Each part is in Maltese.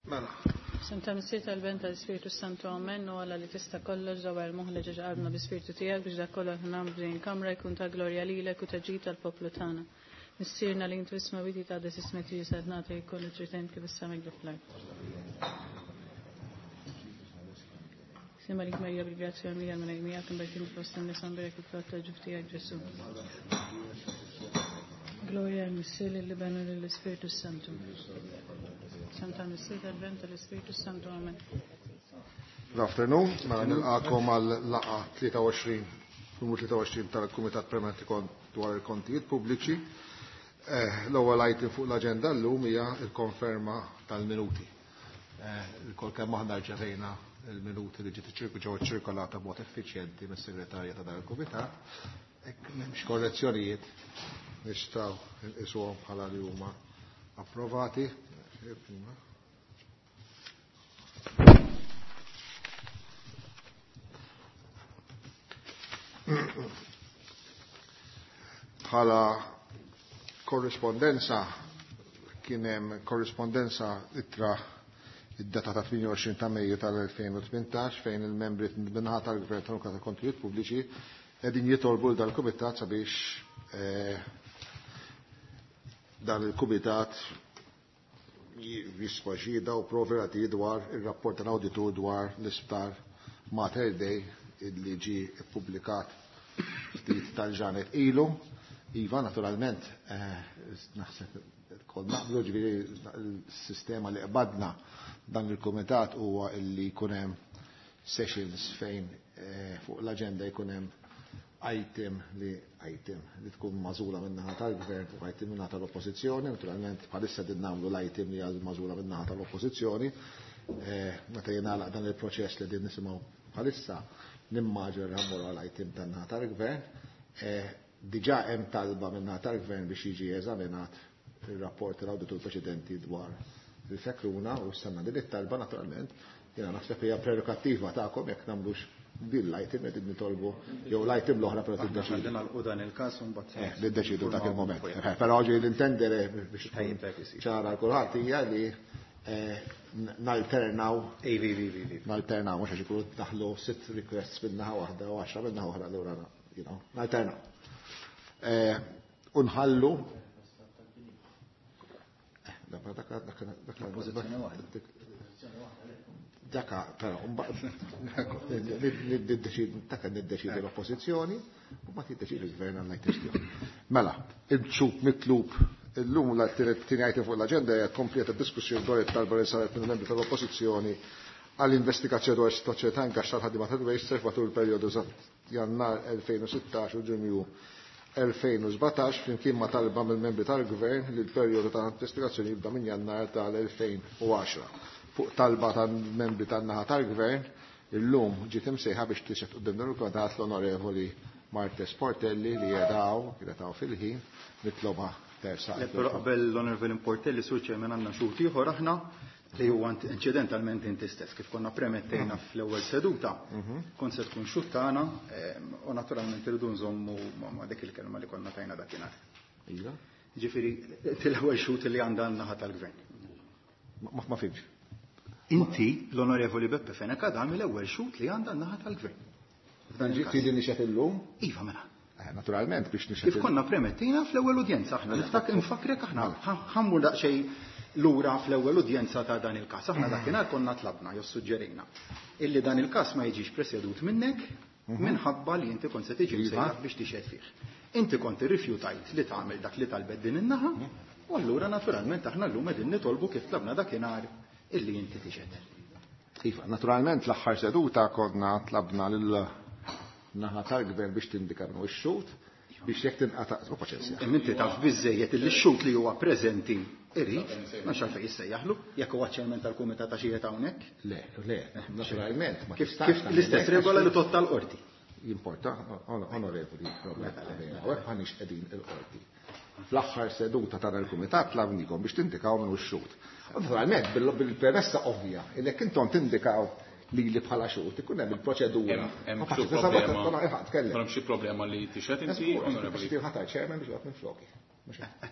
Mela. Santa Missier tal-Ben tal-Ispirtu Santu Amen u Alla li tista' kollox dawar moħħ ġeġ qalbna bi-Spirtu tiegħek biex dak kollox nagħmlu f'din kamra jkun ta' glorja lilek u ta' ġid tal-poplu tagħna. Missierna li intu isma' witi ta' des ismek li jisad nagħti jkollu tritent kif issa mejdu fl-art. Sima lik Marija bil-grazzja mija minn mija kimberkin fost in-nisa mberek il-frott tal-ġuf tiegħek Ġesu. Gloria al Missier lill-Iben u lill-Ispirtu Santu. Santa Missier tal-Ben tal-Ispirtu Santu. Amen. Good afternoon, mela nilqakom għal laqa 23, numru 23 tal-Kumitat Permanenti dwar il-Kontijiet Pubbliċi. L-ewwel item fuq l-aġenda llum hija l-konferma tal-minuti. Ilkoll kemm aħna rċevejna il-minuti li ġiet ġew ċirkolata b'mod effiċjenti mis-segretarja ta' dan il-kumitat. Hekk m'hemmx korrezzjonijiet nistgħu nqisuhom bħala li huma approvati. Bħala korrispondenza kien hemm korrispondenza ittra id-data ta' 28 ta' Mejju tal-2018 fejn il-membri minnaħa tal-Gvern tal ta' Kontijiet Pubbliċi qegħdin jitolbu dal-Kumitat sabiex dan il-Kumitat jisfa xhieda u provi relativi dwar ir-rapport tal-awditur dwar l-isptar Mater Dei illi ġie ppubblikat ftit tal-ġranet ilu. Iva, naturalment, naħseb kol naqblu ġifieri l-sistema li qbadna dan il-kumitat huwa illi jkun hemm sessions fejn fuq l-aġenda jkun hemm item li item li tkun magħżula min-naħa tal-gvern u item min-naħa tal-oppożizzjoni. Naturalment bħalissa din nagħmlu l-item li għal magħżula min-naħa tal-oppożizzjoni. Meta jingħalaq dan il-proċess li din nisimgħu bħalissa nimmaġina li ħammur għal item tan-naħa tal-gvern. Diġà hemm talba min-naħa tal-gvern biex jiġi eżaminat il-rapport tal-awditur preċedenti dwar il-fekruna u s-sanna din it-talba naturalment jiena naħseb hija prerogattiva tagħkom jekk nagħmlux din l-item qed nitolbu jew l-item l-oħra però tiddeċidu. Aħna nagħlqu dan il-każ u mbagħad Niddeċidu dak il-moment. Però ġi l-intendere biex tkun ċara kulħadd hija li nalternaw. Nalternaw, mhux għax ikunu daħlu 6 requests min-naħa waħda u 10 min-naħa oħra, allura nalternaw. Unħallu Daka, però, daka niddeċidu l-oppożizzjoni u ma tiddeċidu l-gvern għal kwestjoni. Mela, il-ċup mitlub illum l-tieni item fuq l-aġenda hija kompleta diskussjoni dwar it-talba li saret minn membri tal-oppożizzjoni għall-investigazzjoni dwar is-sitwazzjoni ta' ingaxx tal-ħaddiema tal-Wasteserv matul il-perjodu Jannar 2016 u Ġunju 2017 flimkien ma' talba mill-membri tal-Gvern li l-perjodu ta' investigazzjoni jibda minn Jannar tal-2010. Fuq talba tal-membri tan-naħa tal-Gvern, illum ġiet imsejħa biex tixhed quddiem dan il-Kumitat l-Onorevoli Marthese Portelli li jedaw, kienet hawn fil-ħin, nitloba tersa. Le, però qabel l-Onorevoli Portelli, Sur Chairman, għandna xhud ieħor aħna li huwa incidentalment inti stess, kif konna premettejna fl-ewwel seduta, kont se tkun xhud tagħna, u naturalment irridu nżommu ma' dik il-kelma li konna tajna dakinhar. Iva. Ġifieri, l-ewwel xhud li għandha n-naħa tal-Gvern. Ma fimx. Inti, l-Onorevoli Beppe Fenech Adami, l-ewwel xhud li għandha n-naħa tal-Gvern. F'dan ġifieri li nixed illum? Iva, mela. Naturalment biex nixed Kif konna premettina fl-ewwel udjenza aħna, niftak infakrek aħna, ħammur daqsxejn lura fl-ewwel udjenza ta' dan il-każ. Aħna dakinhar konna tlabna jew suġġerejna illi dan il-każ ma jiġix presjedut minnek minħabba li inti kont se tiġi msejjaħ biex tixhed fih. Inti kont irrifjutajt li tagħmel dak li talbet din in-naħa, u allura naturalment aħna llum qegħdin nitolbu kif tlabna dakinhar illi inti tixhed. Iva, naturalment l-aħħar seduta konna tlabna lil naħa tal-gvern biex tindika minnu x-xhud biex jekk tinqata' u paċenzja. Imma inti taf biżejjed illi x-xhud li huwa preżenti irid, ma nafx għalfejn jissejjaħlu, jekk huwa ċermen tal-kumitat għax qiegħed hawnhekk. Le, le, naturalment, ma Kif tistax kif tagħmel l-istess hekk, regola għax li totta l-qorti. Jimporta, onorevoli, Robert, u hekk m'aħniex qegħdin il-qorti. Fl-aħħar seduta ta' dal-kumitat tlabnikom biex tindikaw minnu x-xhud. Naturalment, bil-premessa ovvja, illi jekk intom tindikaw li bħala xhud, ikun hemm il-proċedura. Hemm xi problema. Hemm xi problema li tixhed inti, onorevoli. Ħatar chairman biex joqgħod minn floki.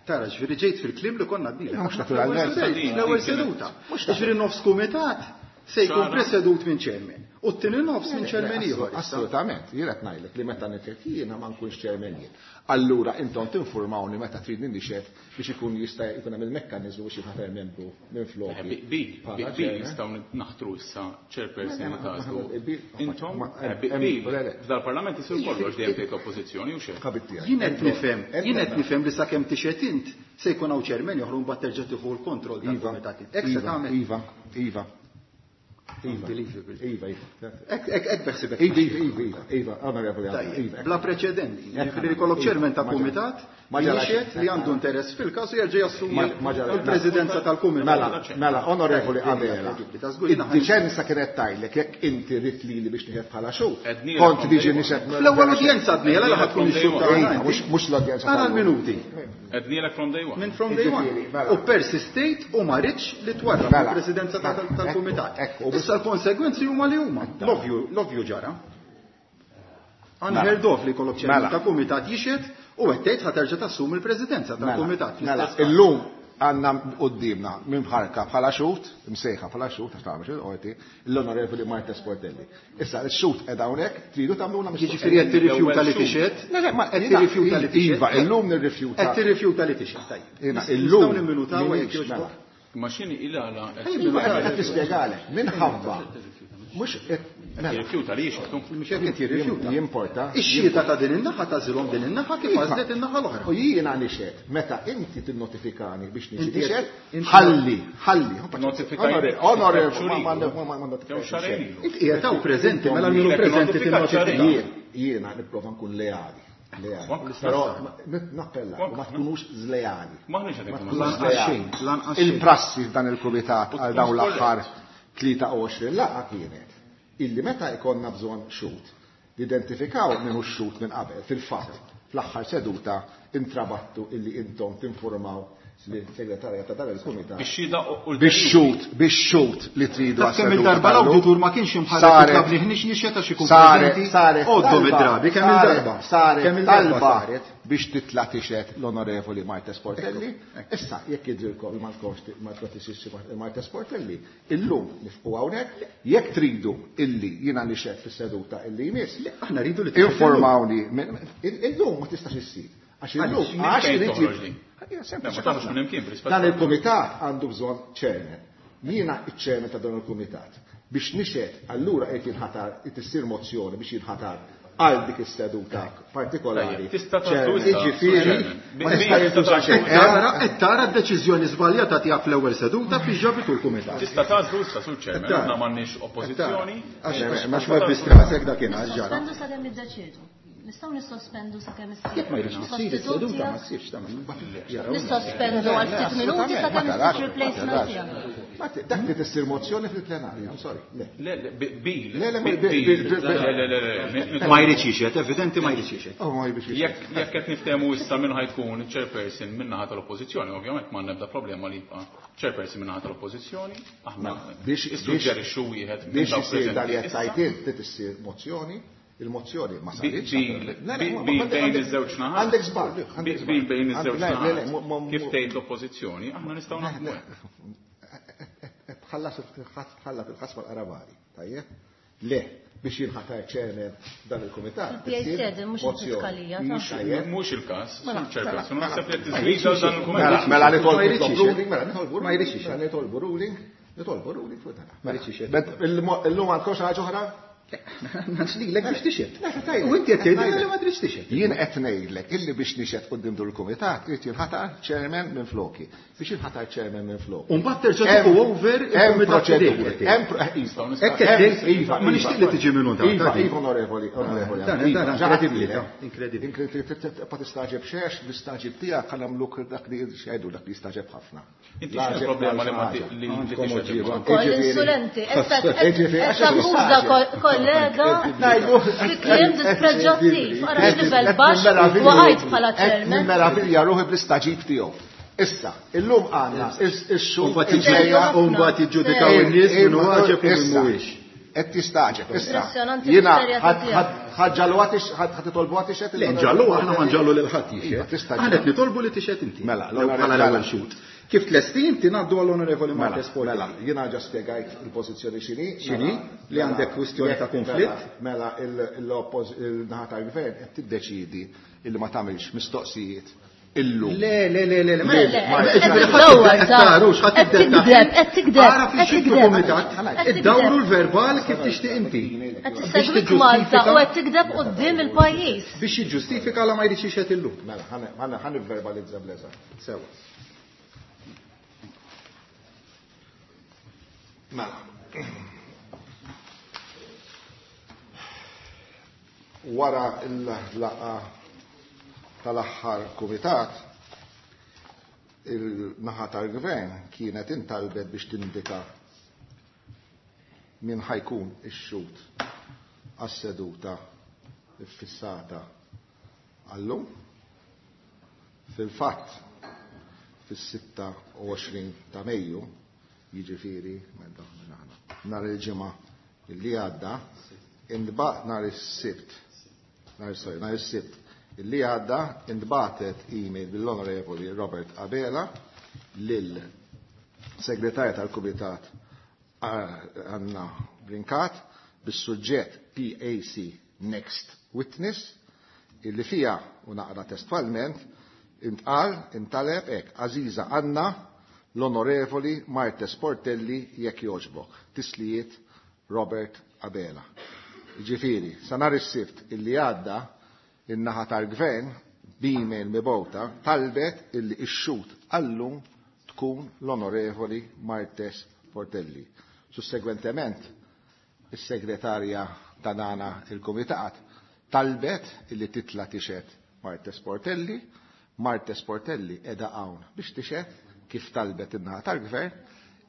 Tara, ġifieri ġejt fil-kliem li konna għadni. Mhux naturalment. L-ewwel seduta. Ġifieri nofs kumitat se jkun presedut minn chairman. U t-tieni nofs minn chairman ieħor. Assolutament, jien qed ngħidlek li meta nixhed jiena ma nkunx chairman jien. Allura intom tinformawni meta tridni nixhed biex ikun jista' jkun hemm il-mekkaniżmu biex jinħatar membru minn floki. Bil, bil nistgħu naħtru issa chairperson li tagħżlu. Intom, bil, f'dal-parlament isir kollox dejjem tgħid l-oppożizzjoni u xejn. Jien qed nifhem, jien qed nifhem li sakemm tixhed int se jkun hawn chairman oħra mbagħad terġa' tieħu l-kontroll tal-kumitat. Hekk se tagħmel. Iva, iva. Unbelievable. Iva, iva. Hekk beħsibek. Iva, iva, iva, iva, onorevoli. Iva. Bla preċedenti. Ġifieri jkollok chairman ta' kumitat jixhed li għandu interess fil-każ u jerġa' jassumi l-presidenza tal-kumitat. Mela, mela, onorevoli Abela. Id-diċenza kienet tajlek jekk inti rid lili biex nieħed bħala xhud. Kont diġi nixhed. Fl-ewwel udjenza għadniela li ħad tkun ix-xhud tagħna. Mhux l-udjenza. Ara l-minuti. Għednielek from day one. Minn from day one. U persistejt u ma ridx li twarrab il-presidenza tal-kumitat. Issa l-konsegwenzi huma li huma. L-ovvju ġara. Unheard of li jkollok chairman ta' kumitat jixhed u qed tgħid ħa terġa' tassumi l-presidenza tal-kumitat. Mela, illum għandna quddiemna minn bħarka bħala xhud, msejħa bħala xhud, għax tagħmel xhud qorti, l-Onorevoli Marta Sportelli. Issa x-xhud qed hawnhekk tridu tagħmluna mistoqsija. Jiġifieri qed tirrifjuta li tixhed? Qed tirrifjuta li tixhed? Iva, illum nirrifjuta. Qed tirrifjuta li tixhed, tajjeb. Illum nimminutaw jekk jogħġbok. Ma x'inhi il-għala? Qed nispjegalek, minħabba mhux Jirrifjuta li jixhed. Mhux hekk qed jirrifjuta. Jimporta. Ix-xhieda ta' din in-naħa tagħżilhom din in-naħa kif għażlet in-naħa l-oħra. U jiena nixhed meta inti tinnotifikani biex niġi nixhed, ħalli, ħalli. Onorevoli, ma notifikajt. Inti qiegħed hawn preżenti mela min hu preżenti tinnotifika. Jiena nipprova nkun leali. Però nappella, ma tkunux żleali. Il-prassi f'dan il-kumitat għal dawn l-aħħar 23 laqgħa kienet illi meta jkollna bżonn xhud, nidentifikaw min hu x-xhud minn qabel. Fil-fatt, fl-aħħar seduta intrabattu illi intom tinformaw lis-segretarja ta' dan il-kumitat bix-xhud, bix-xhud li tridu għas Kemm il-darba l-awditur ma kienx imħarrek jitlob li ħniex nixhed għax ikun preżenti. Għoddhom id-drabi kemm il-darba. Saret talba biex titla' tixhed l-Onorevoli Marta Sportelli. Issa jekk jidhrilkom li ma tkunx Marta Sportelli, illum nifqu hawnhekk, jekk tridu illi jiena nixhed fis-seduta illi jmiss. Aħna rridu li informawni. Illum ma tistax issir. Għax illum għax irid Dan il-kumitat għandu bżonn chairman. Jiena iċ-chairman ta' dan il-kumitat. Biex nixhed allura qed jinħatar qed issir mozzjoni biex jinħatar għal dik is-seduta partikolari. Jiġifieri ma tista' jintuża xejn. Qed tara d-deċiżjoni żbaljata tiegħek fl-ewwel seduta biex ġabitu l-kumitat. Tista' tagħżlu issa sur chairman, aħna m'għandniex oppożizzjoni. Għax ma bistrasek dakinhar ġara. Sospendu sakemm niddeċiedu. Nistgħu nissospendu sakemm issir. Jekk ma jridx issir is-seduta ma ssirx ta' Nissospendu għal ftit minuti sakemm issir replacement tiegħek. Dak li tissir mozzjoni fil-plenarja, I'm sorry. Le, le, bil. Le, le, le, le, Ma jridx jixhed, evidenti ma jridx jixhed. Oh, ma jridx jixhed. Jekk qed niftehmu issa min ħajkun chairperson min-naħa tal-oppożizzjoni, ovvjament ma nebda problema li jibqa' chairperson min-naħa tal-oppożizzjoni, aħna biex issuġġerixxu wieħed minn dawk preżenti. Biex isir dal qed tgħid tissir mozzjoni. Il-mozzjoni ma saritx. Bil bejn iż-żewġ naħat. Għandek żball. Bil bejn iż-żewġ naħat. Kif tgħid l-oppożizzjoni, aħna nistgħu naħdmu. Tħallas tħallas il-ħass mal-qarabali, tajjeb? Le, biex jinħatar chairman dan il-kumitat. Mhux Mhux il-każ, chairperson, naħseb li tiżvija dan il-kumitat. Mela nitolbu ruling, mela nitolbu ma jridx mela nitolbu ruling, nitolbu ruling fuq dan. Ma jridx Illum għandkom xi ħaġa oħra? Nixlilek biex tixhed. U inti qed tgħidli li ma tridx tixhed. Jien qed ngħidlek illi biex nixhed quddiem dur il-kumitat irid jinħatar chairman minn floki. Biex jinħatar chairman minn floki. U mbagħad terġa' tieħu over il-kumitat Hekk iva, ma nixtieq li tiġi minnu dan. Iva, iva, onorevoli, onorevoli. Inkredibbli, inkredibbli. Inkredibbli, pa tistaġeb xex, l-istaġib tiegħek ħa nagħmluk dak li xejdu dak li jistaġeb ħafna. Inti x'inhi problema li ma li tixhed. Ukoll insulenti, qed takkuża kollega fi kliem dispreġġattiv, ara x'livell baxx waqajt bħala chairman. Nimmeravilja ruħi bl-istaġib tiegħu. Issa, illum għandna ix-xhur U mbagħad jiġġudikaw in-nies min hu għaġeb u min mhuwiex. Qed tistaġeb. Issa. Impressjonanti Jiena l-isterja tiegħek. ħaġġalu ħadd titolbu għad tixhed? Le, nġallu aħna ma nġallu lil ħadd jixhed. Iva, tista' Aħna qed nitolbu li tixhed inti. Mela, L-ewwel bħala l-ewwel xhud. Kif tlesti inti ngħaddu għall-Onorevoli Mela, Martes Portelli. mela, jiena ġa spjegajt il-pożizzjoni x'inhi. X'inhi? Mela, Li għandek kwistjoni ta' konflitt? Mela, il-naħa tal-gvern qed tiddeċidi illi ma tagħmilx mistoqsijiet illum. Le, le, le, le, le, Le, le, qed tiddawwar, ta' qed tikdeb, qed tikdeb, Ara qed fix-xittu tikdeb. kumitat, Qed tikdeb. iddawru l-verbal kif tixtieq inti. Qed tissegwik Malta u qed tikdeb quddiem il-pajjiż. Biex jiġġustifika la ma jridx jixhed illum. Mela, ħa nivverbalizza bl-eżatt. Sewa. Mela. Wara l-laqa tal-aħħar kumitat, il-naħa tal-gvern kienet intalbet biex tindika min ħajkun ix-xhud għas-seduta ffissata għallum. Fil-fatt, fis-26 ta' Mejju, jiġifieri meta aħna nhar il-ġimgħa illi għadda, intbagħat nhar is-Sibt, nhar sorry, nhar is-Sibt illi għadda intbagħtet email mill-Onorevoli Robert Abela lil segretarja tal-Kumitat Anna Brincat bis-suġġett PAC Next Witness illi fija u naqra testwalment intqal intaleb hekk Aziza Anna l-Onorevoli Martes Portelli jekk jogħġbok. Tislijiet Robert Abela. Ġifieri, sa nhar is-Sibt illi għadda in-naħa tal-gvern b'email mibgħuta talbet illi x-xhud għallum tkun l-Onorevoli Martes Portelli. Sussegwentement, is-segretarja ta' dana il-Kumitat talbet illi titla tixhed Martes Portelli. Martes Portelli qiegħda hawn biex tixhed kif talbet in-naħa tal-gvern.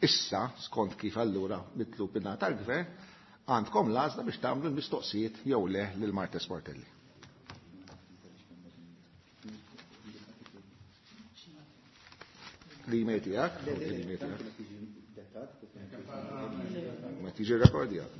Issa, skont kif allura mitlub in-naħa tal-gvern, għandkom l-għażla biex tagħmlu l-mistoqsijiet jew le lil Martes Portelli. L-email tiegħek? L-email tiegħek. Ma tiġi rekordjat.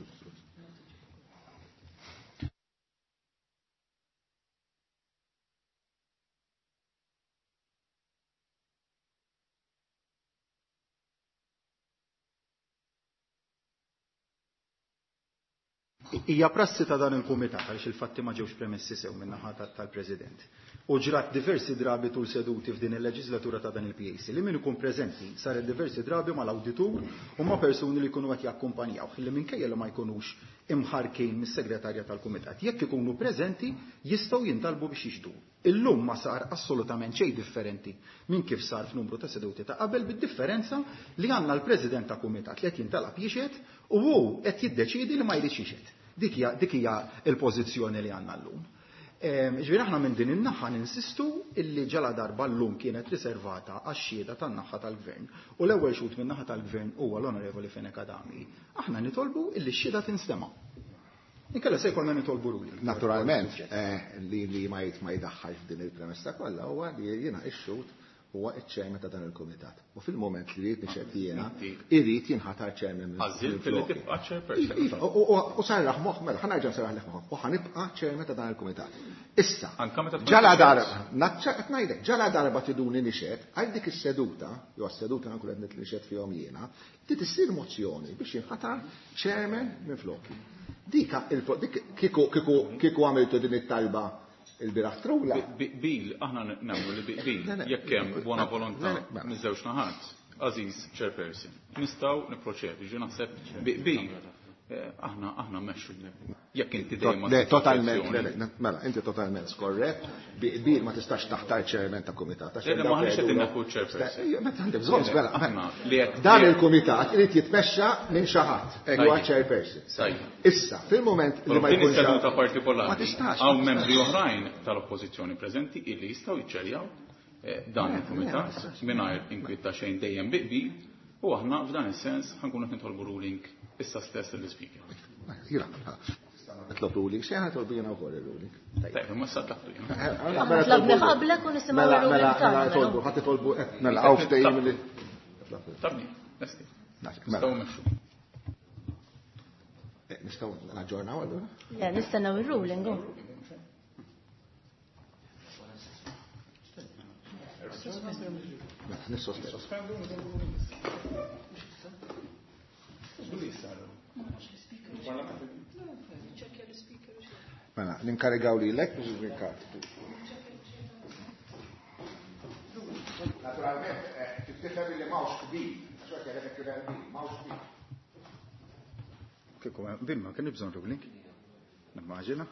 Hija prassi ta' dan il-kumitat għaliex il-fatti ma ġewx premessi sew min-naħa tal-President. U ġrat diversi drabi tul seduti f'din il-leġislatura ta' dan il-PAC li min ikun preżenti saret diversi drabi mal-awditur u ma' persuni li jkunu qed jakkumpanjaw li minkejja li ma jkunux imħarkin mis-segretarja tal-kumitat. Jekk ikunu preżenti jistgħu jintalbu biex jixhdu. Illum ma sar assolutament xejn differenti minn kif sar f'numru ta' seduti ta' qabel, bid-differenza li għandna l-President ta' Kumitat li qed jintalab jixhed u hu qed jiddeċiedi li ma jridx jixhed. Dik hija l-pożizzjoni li għandna llum. Ġifieri aħna minn din in-naħa ninsistu illi ġala darba llum kienet riservata għax-xhieda tan-naħa tal-Gvern u l-ewwel xhud min-naħa tal-Gvern huwa l-Onorevoli Fenech Adami. Aħna nitolbu illi x-xhieda tinstema'. Inkella se jkollna nitolbu ruling. Naturalment, li ma jdaħħalx f'din il-premessa kollha huwa li jiena x-xhud huwa iċ-chairman ta' dan il-kumitat. U fil-moment li rrid nixhed jiena, irid jinħatar chairman minn Għażilt li flokki. tibqa' chairperson. Iva, u sarraħ moħħ, mela, ħa nerġa' nsarraħ moħħ, u ħanibqa' chairman ta' dan il-kumitat. Issa, Anka meta tkun ġala tixhed. darba, naċċa qed ngħidlek, ġala darba tiduni nixhed, għal dik is-seduta, jew għas-seduta nkun qed nixhed fihom jiena, trid issir mozzjoni biex jinħatar chairman minn flokki. Dika dik kieku għamiltu din it-talba il-biraħ trula. Bil, aħna nagħmlu li bil, Le, le. jekk hemm buona volontà Le, le, mela. miż-żewġ naħat, Aziz chairperson, nistgħu nipproċedu, ġi naħseb bil, aħna mmexxu. Jekk inti dejjem ma Le, ssibx totalment, soluzzjoni. le, le, mela, inti totalment skorrett, bil ma tistax taħtar chairman ta' kumitat. Għax Le, le, dawk ma ħanix qed jgħidulhom- inneħħu chairperson. Sta- meta għandek bżonn, Le, mela, aħna mela. li qed- Dan li qed- il-kumitat irid jitmexxa minn xi ħadd, hekk huwa Tajjeb. chairperson. Tajjeb. Issa, fil-moment li Però ma f'din jkunx is-seduta hawn- partikolari Ma tistax, hawn ma membri tistax. oħrajn tal-oppożizzjoni preżenti illi jistgħu jiċċerjaw dan Le, il-kumitat le, ma tistax. mingħajr inkwiet ta' xejn dejjem biqbil u aħna f'dan is-sens ħankunu qed nitolbu ruling issa stess lill-ispeaker. Jira, nitlob ruling, xejn ħatolbu jiena wkoll ir-ruling. Tajjeb, imma issa tlabtu jiena. Aħna tlabni qablek u nisimgħu Mela, r-ruling mela, tagħna, mela, mela. tolbu, ħadd itolbu, mela, hawn ftehim li Tabni, lesti. Mela. Nistgħu mmexxu. Nistgħu naġġornaw allura? Le, nistennew ir-ruling. Mela, nissospendu. Mela, ninkarigaw lilek biex Rinkat. Naturalment, tifhem li m'hawnx qbil, għax hekk qed kien hemm qbil, m'hawnx qbil. Kieku qbil ma kien bżonn ruling. Nimmaġina.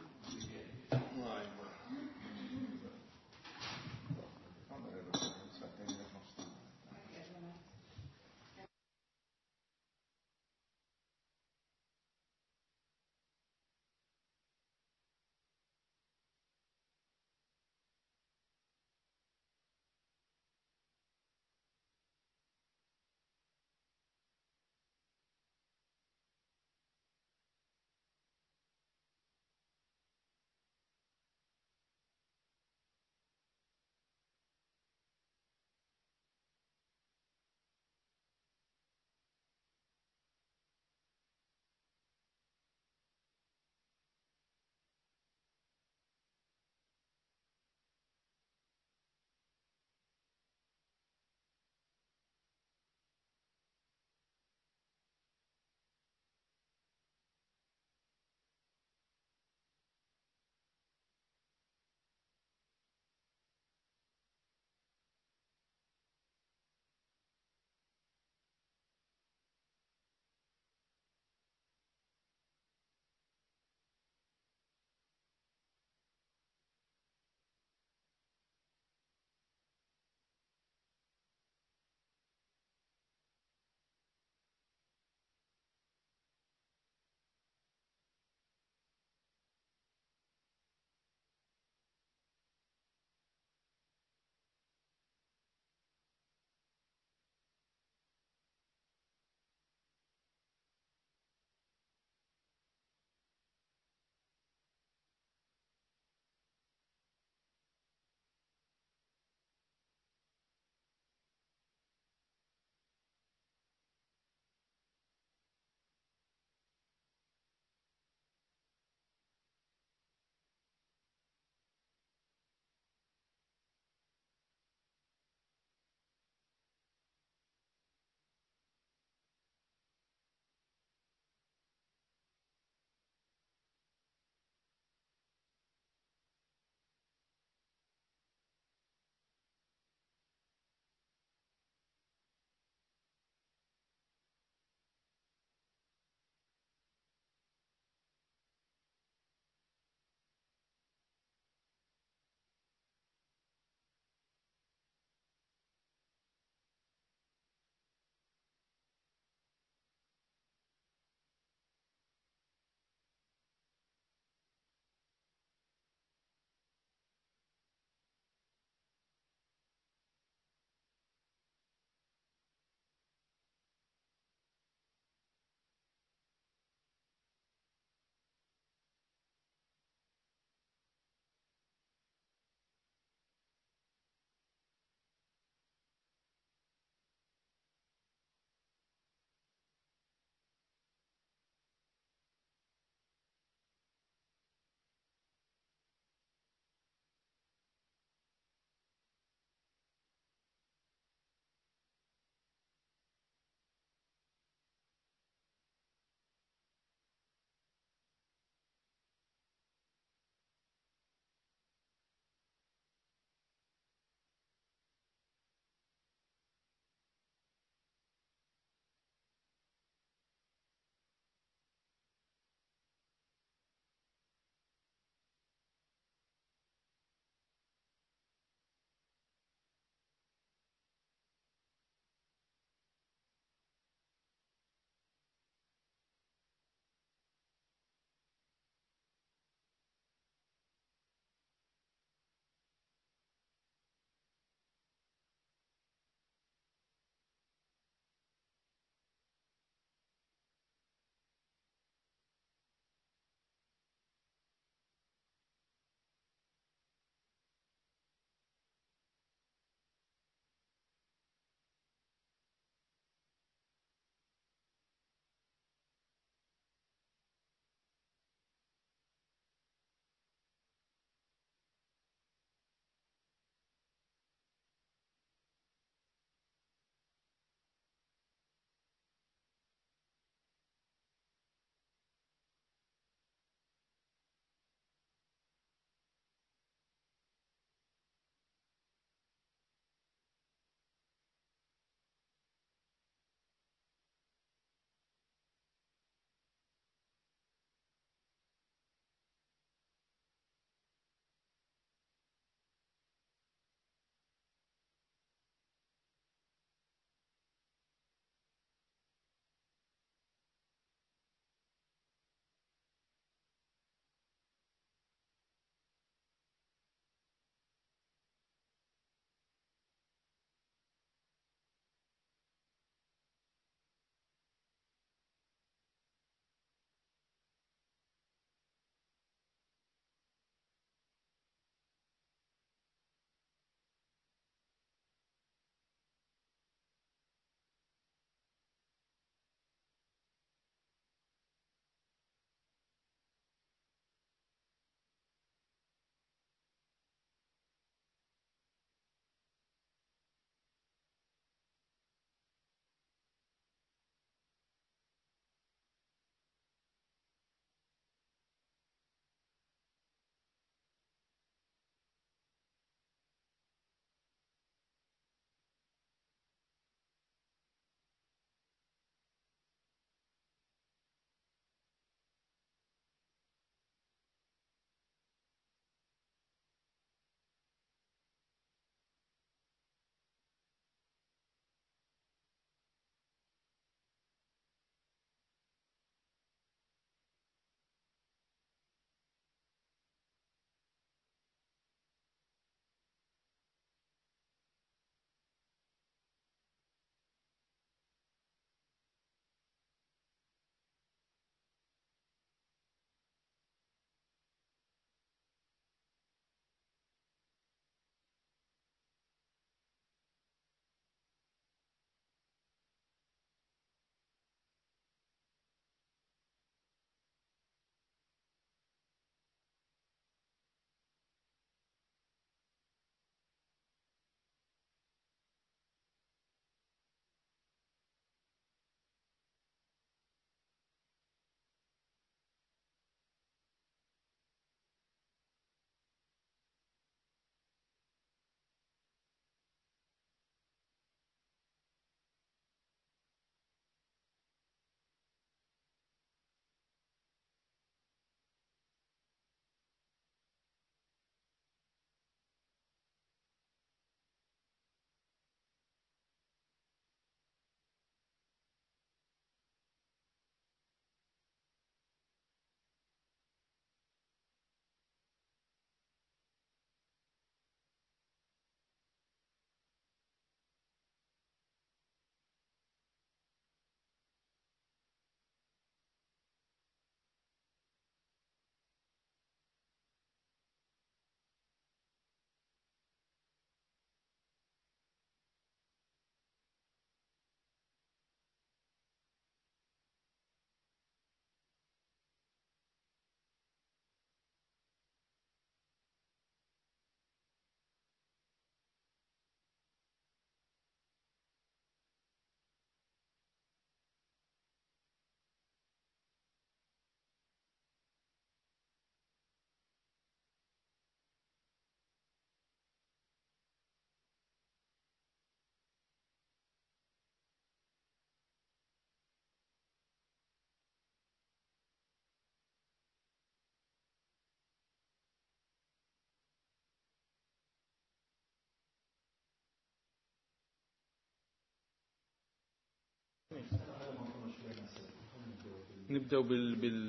Nibdew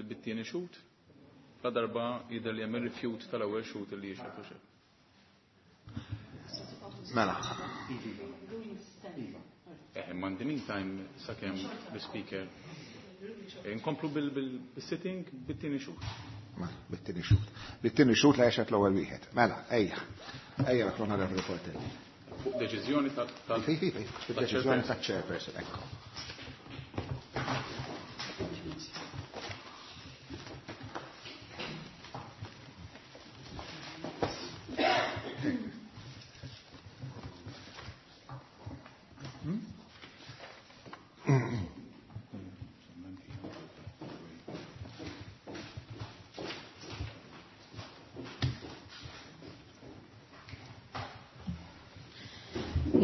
bit-tieni xhud. La darba jidher li hemm ir-rifjut tal-ewwel xhud li jixhed u xejn. Mela. Imma in the meantime sakemm l-speaker inkomplu bil-sitting bit-tieni xhud. Mela, bit-tieni xhud. Bit-tieni xhud la jexhed l-ewwel wieħed. Mela, ejja. Ejja l-Onorevoli Portelli. Fuq deċiżjoni tal Fuq deċiżjoni tal-chairperson, ekku.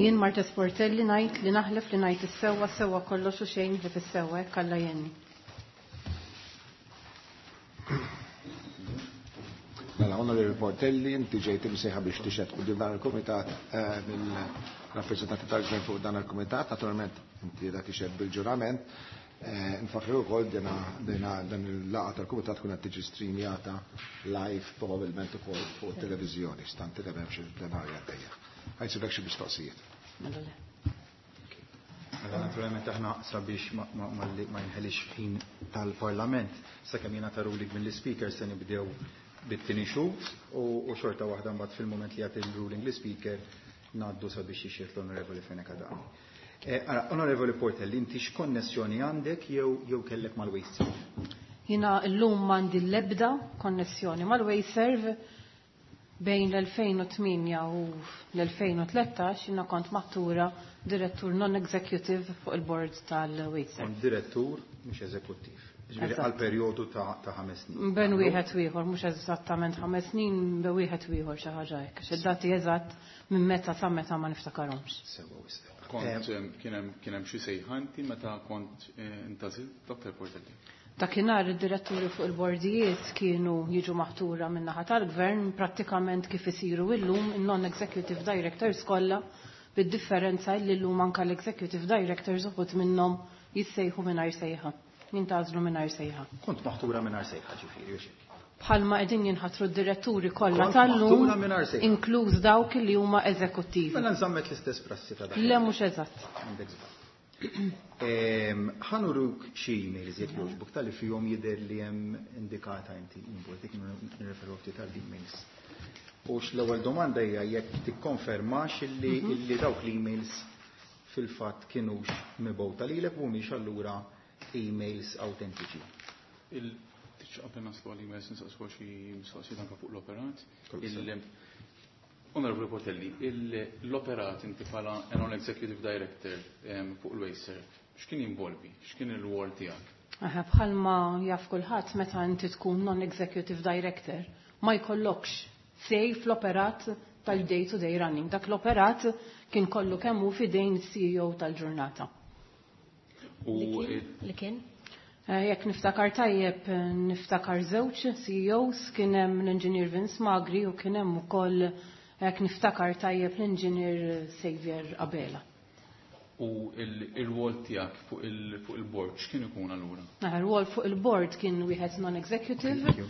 Jien Marta Sportelli ngħid li naħlef li ngħid is-sewwa sewwa kollox u xejn ħlief is-sewwa hekk Alla jgħinni. Mela, Onorevoli Portelli, inti ġejt imsejħa biex tixhed quddiem dan il-kumitat mill-rappreżentanti tal-Gvern fuq dan il-kumitat, naturalment inti qiegħda tixhed bil-ġurament. Nfakkru wkoll dan il-laqgħa tal-kumitat tkun qed tiġi streamjata live probabbilment ukoll fuq it-televiżjoni, stante li m'hemmx il-plenarja għaddejja. Ħa jsirlek xi mistoqsijiet. Mela le. Mela naturalment aħna sabiex ma jinħelix ħin tal-Parlament, sakemm jingħata ruling mill-Speaker se nibdew bit-tieni xhud u xorta waħda mbagħad fil-mument li jagħti l-ruling l-Speaker ngħaddu sabiex jixhed l-Onorevoli Fenech Adami. Ara, Onorevoli Portelli, inti x'konnessjoni għandek jew kellek mal-WasteServ? Jiena llum m'għandi l-ebda konnessjoni mal-WasteServ. Bejn l-2008 u l-2013 jiena kont maħtura direttur non-executive fuq il-board tal-WasteServ. Kont direttur mhux eżekuttiv. Ġifieri għal perjodu ta' 5 snin. Bejn wieħed u ieħor, mhux eżattament 5 snin, bejn wieħed u ieħor xi ħaġa hekk. Għax id-dati eżatt minn meta sa meta ma niftakarhomx. Sewwa wisq. Kont kien hemm xi sejħa inti meta kont intażilt, Dr. Portelli? Dakinhar id-diretturi fuq il-bordijiet kienu jiġu maħtura min-naħa tal-gvern prattikament kif isiru illum in-non-executive directors kollha, bid-differenza li llum anke l-executive directors uħud minnhom jissejħu mingħajr sejħa, jintgħażlu mingħajr sejħa. Kont maħtura mingħajr sejħa ġifieri, u xejn. Bħalma qegħdin jinħatru d-diretturi kollha Kont tal-lum, maħtura mingħajr sejħa. inkluż dawk li huma eżekuttivi. Mela nżammet l-istess prassi ta' dak. Le mhux eżatt. Għandek żball. Ħanuruk xi emails jekk jogħġbok tal-li fihom jidher li hemm indikata inti involt, jekk nirreferu ftit għall-emails. U l-ewwel domanda hija jekk tikkonfermax illi dawk l-emails fil-fatt kienux mibgħuta lilek u mhumiex allura emails autentiċi. Qabel naslu għall-emails nsaqsu xi mistoqsijiet anke fuq l-operat. Onorevoli Portelli, l-operat inti bħala non-executive director fuq il-WasteServ, x'kien jinvolvi? X'kien il-rwol tiegħek? Bħalma jaf kulħadd meta inti tkun non-executive director ma jkollokx sej fl-operat tal-day to day running. Dak l-operat kien kollu kemm hu f'idejn is-CEO tal-ġurnata. U Li kien? Jekk niftakar tajjeb, niftakar żewġ CEOs, kien hemm l-Engineer Vince Magri u kien hemm ukoll jekk niftakar tajjeb l-Engineer Xavier Abela. U il-rwol tiegħek fuq il-board x'kien ikun allura? Il-rwol fuq il-board kien wieħed non-executive, Thank you.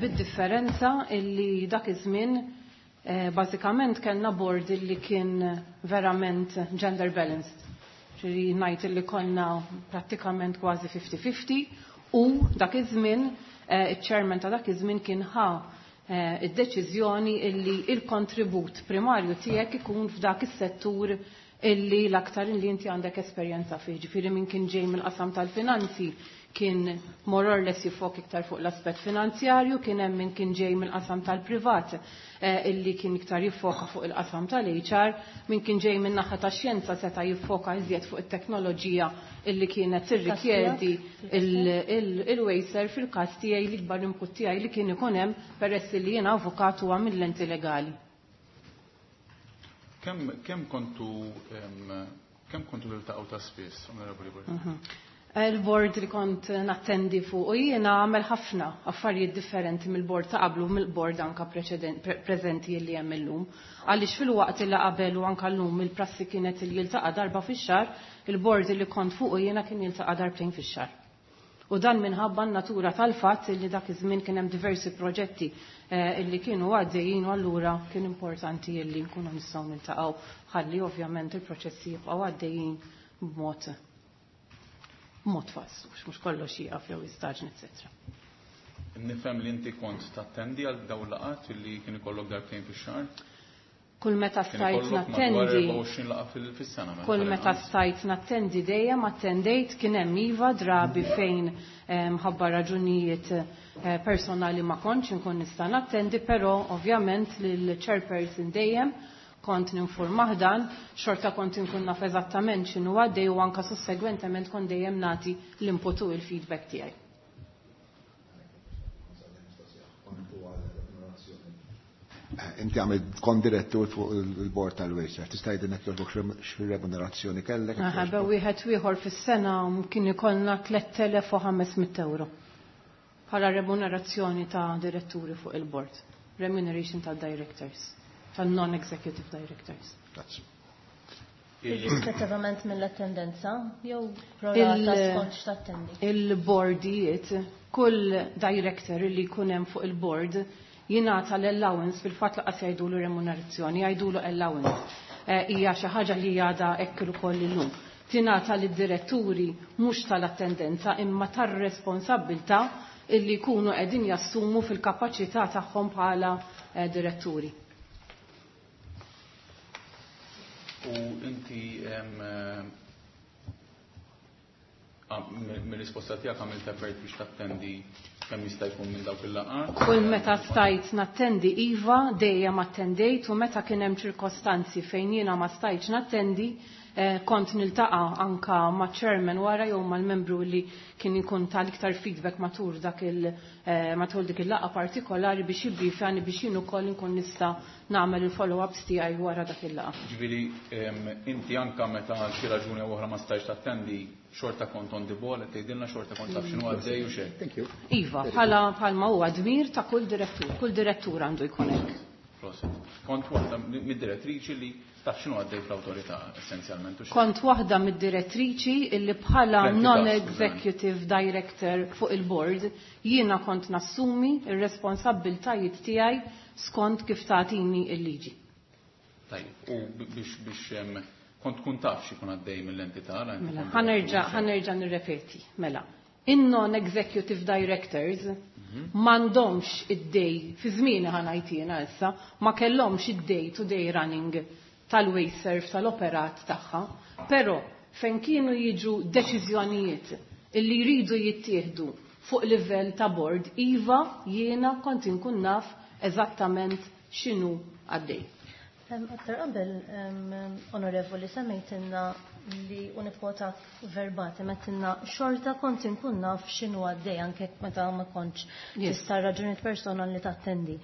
bid-differenza illi dak iż-żmien bażikament kellna board illi kien verament gender balanced. Ġifieri ngħid illi konna prattikament kważi 50-50 u dak iż-żmien iċ-chairman ta' dak iż-żmien kien ħa id-deċiżjoni illi il-kontribut primarju tiegħek ikun f'dak is-settur illi l-aktar illi inti għandek esperjenza fih. Ġifieri min kien ġej mill-qasam tal-finanzi kien more or less jifok iktar fuq l-aspett finanzjarju, kien hemm min kien ġej mill-qasam tal-privat illi kien iktar jiffoka fuq il-qasam tal-HR, min kien ġej minn naħa tax-xjenza seta' jiffoka iżjed fuq it-teknoloġija illi kienet tirrikjedi il-WasteServ fil-każ tiegħi l-ikbar input tiegħi li kien ikun hemm peress li jiena avukat huwa mill-lenti legali. Kemm kontu tiltaqgħu ta' spiss, Onorevoli Borg? Il-board li kont nattendi fuq u jiena għamel ħafna affarijiet differenti mill-board ta' qablu mill-board anka preżenti li hemm illum. Għaliex fil-waqt li qabel u anka llum il-prassi kienet li jiltaqa' darba fix-xahar, il-board li kont fuq u jiena kien jiltaqa' darbtejn fix-xahar. U dan minħabba n-natura tal-fatt li dak iż-żmien kien hemm diversi proġetti illi kienu għaddejjin u allura kien importanti illi nkunu nistgħu niltaqgħu ħalli ovvjament il-proċessi jibqgħu għaddejjin b'mod fast, mhux kollox jieqaf jew jistaġn, eċetera. Nifhem li inti kont tattendi għal dawn laqgħat illi kien ikollok darbtejn fix-xahar? Kull meta stajt nattendi. 24 laqgħa fis-sena. Kull meta stajt nattendi dejjem attendejt, kien hemm iva drabi fejn mħabba raġunijiet personali ma kontx inkun nista' nattendi, però ovvjament lill-chairperson dejjem kont ninformah dan, xorta kont inkun naf eżattament x'inhu għaddej u anka sussegwentement kont dejjem nagħti l-input u l-feedback tiegħi. Inti għamilt kont direttur fuq il-bord tal-Wasteserv. Tista' jgħidilna jogħġbok x'remunerazzjoni kellek? Aha, wieħed ieħor fis-sena kien ikollna 3500 euro bħala remunerazzjoni ta' diretturi fuq il-bord. Remuneration ta' directors, ta' non-executive directors. Grazzi. Irrispettivament mill-attendenza jew prorata skont x'tattendi? Il-bordijiet, kull director li jkun hemm fuq il-board jingħata l-allowance, fil-fatt laqas jgħidulu remunerazzjoni, jgħidulu allowance. Hija xi ħaġa li għadha hekk ukoll illum. Tingħata lid-diretturi mhux tal-attendenza imma tar-responsabbiltà illi jkunu qegħdin jassumu fil-kapaċità tagħhom bħala diretturi. U inti mill-risposta tiegħek għamilt effort biex tattendi kemm jista' jkun minn dawk il-laqgħat? Kull meta stajt nattendi iva, dejjem attendejt, u meta kien hemm ċirkostanzi fejn jiena ma stajtx nattendi, kont niltaqa' anka ma' chairman wara jew mal-membru li kien ikun tal-iktar feedback matul dak il matul dik il-laqgħa partikolari biex jibbrifjani biex jien ukoll inkun nista' nagħmel il-follow-ups tiegħi wara dak il-laqgħa. Ġifieri inti anka meta għal xi raġuni oħra ma stajtx tattendi, xorta kont on the ball, qed tgħidilna xorta kont taf x'inhu għaddej u xejn. Thank you. Iva, bħalma huwa dmir ta' kull direttur, kull direttur għandu jkun hekk. Prosit. Kont waħda mid-direttriċi li taf x'inhu għaddej fl-awtorità essenzjalment u xejn. Kont waħda mid-direttriċi illi bħala non-executive director fuq il-board jiena kont nassumi r-responsabbiltajiet tiegħi skont kif tagħtini l-liġi. Tajjeb, u biex kont tkun taf x'ikun għaddej mill-entità, la inti Mela, kont direttur. ħanerġa' nirrepeti, mela. In-non-executive directors m'għandhomx id-day, fi żmieni ħanajt jiena issa, ma kellhomx id-day to day running tal-Wasteserv tal-operat tagħha, però fejn kienu jiġu deċiżjonijiet illi jridu jittieħdu fuq livell ta' board, iva jiena kont inkun naf eżattament x'inhu għaddej. Aktar qabel, onorevoli, semmejtilna li unikwota verbatim, għedtilna xorta kont inkun naf x'inhu għaddej anke meta ma kontx tista' raġunijiet personali li tattendi.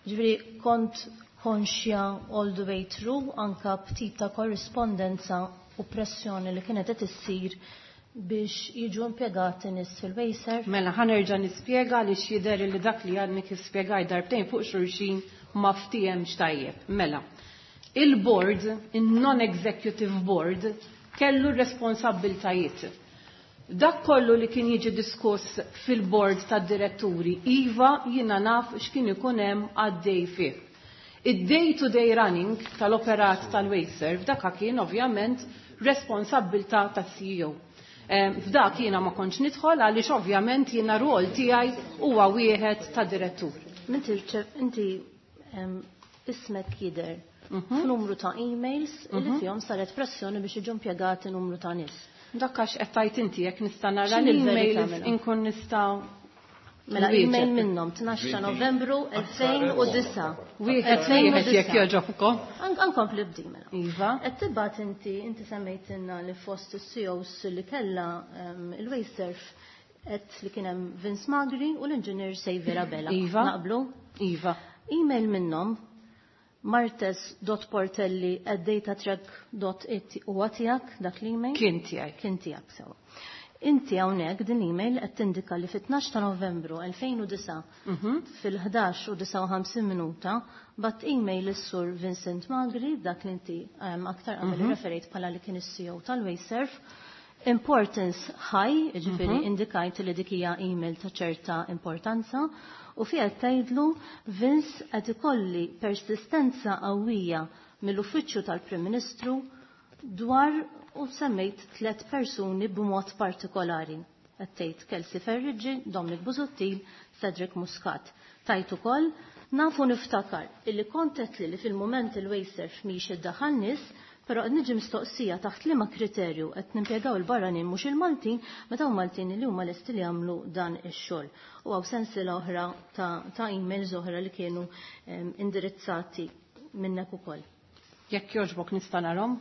Ġifieri kont konxja all the way through anka b'tip ta' korrispondenza u pressjoni li kienet qed issir biex jiġu impjegati nies fil-Wasteserv? Mela, ħanerġa' nispjega li x'jidher li dak li għadni kif spjegaj darbtejn fuq xulxin ma ftihemx tajjeb. Mela, il-board, il-non-executive board, kellu responsabbiltajiet. Dak kollu li kien jiġi diskuss fil-board tad-diretturi, iva jiena naf x'kien ikun hemm għaddej fih. Id-day-to-day running tal-operat tal-Wasteserv dak kien ovvjament responsabbiltà tas-CEO. F'dak jiena ma kontx nidħol għaliex ovvjament jiena rol tiegħi huwa wieħed ta' direttur. Inti ismek jidher f'numru ta' emails li fihom saret pressjoni biex jiġu impjegati numru ta' nies. Dak għax qed tgħid inti jekk nista' nara X'inhi l-verità l-emails mela? inkun nista' Mela, nwieġeb. email minnhom 12 ta' Novembru 2009. Wieħed Elfejn u wieħed jekk disa'. jogħġobkom. Ankompli bdi mela. Iva. Qed tibgħat inti semmejtilna li fost is-CEOs li kellha il-Wasteserv qed li kien hemm Vince Magri u l-Inġinier Xavier Abela. Iva. Naqblu? Iva. Email minnhom martes dot portelli at datatrack dot it huwa tiegħek dak l-email? Kien tiegħi. Kien tiegħek sewa. Inti hawnhekk din l-email qed tindika li fit-12 ta' Novembru 2009 fil-11 u 59 minuta bgħatt email lis-Sur Vincent Magri, dak li inti aktar qabel irreferejt bħala li kien is-CEO tal-Wasteserv, importance high, jiġifieri indikajt li dik hija email ta' ċerta importanza, u fiha qed tgħidlu Vince qed ikolli persistenza qawwija mill-Uffiċċju tal-Prim Ministru dwar u semmejt 3 persuni b'mod partikolari. Qed tgħid Kelsey Ferriggi, Dominic Busuttil, Cedric Muscat. Tajt ukoll nafu niftakar illi kont qed li fil-mument il-Wasteserv mhix iddaħħal nies, però qed niġi mistoqsija taħt liema kriterju qed nimpjegaw il-barranin mhux il-Maltin meta hawn Maltin li huma lesti li jagħmlu dan ix-xogħol. U hawn sensiela oħra ta' emails oħra li kienu indirizzati minnek ukoll. Jekk jogħġbok nista' narhom?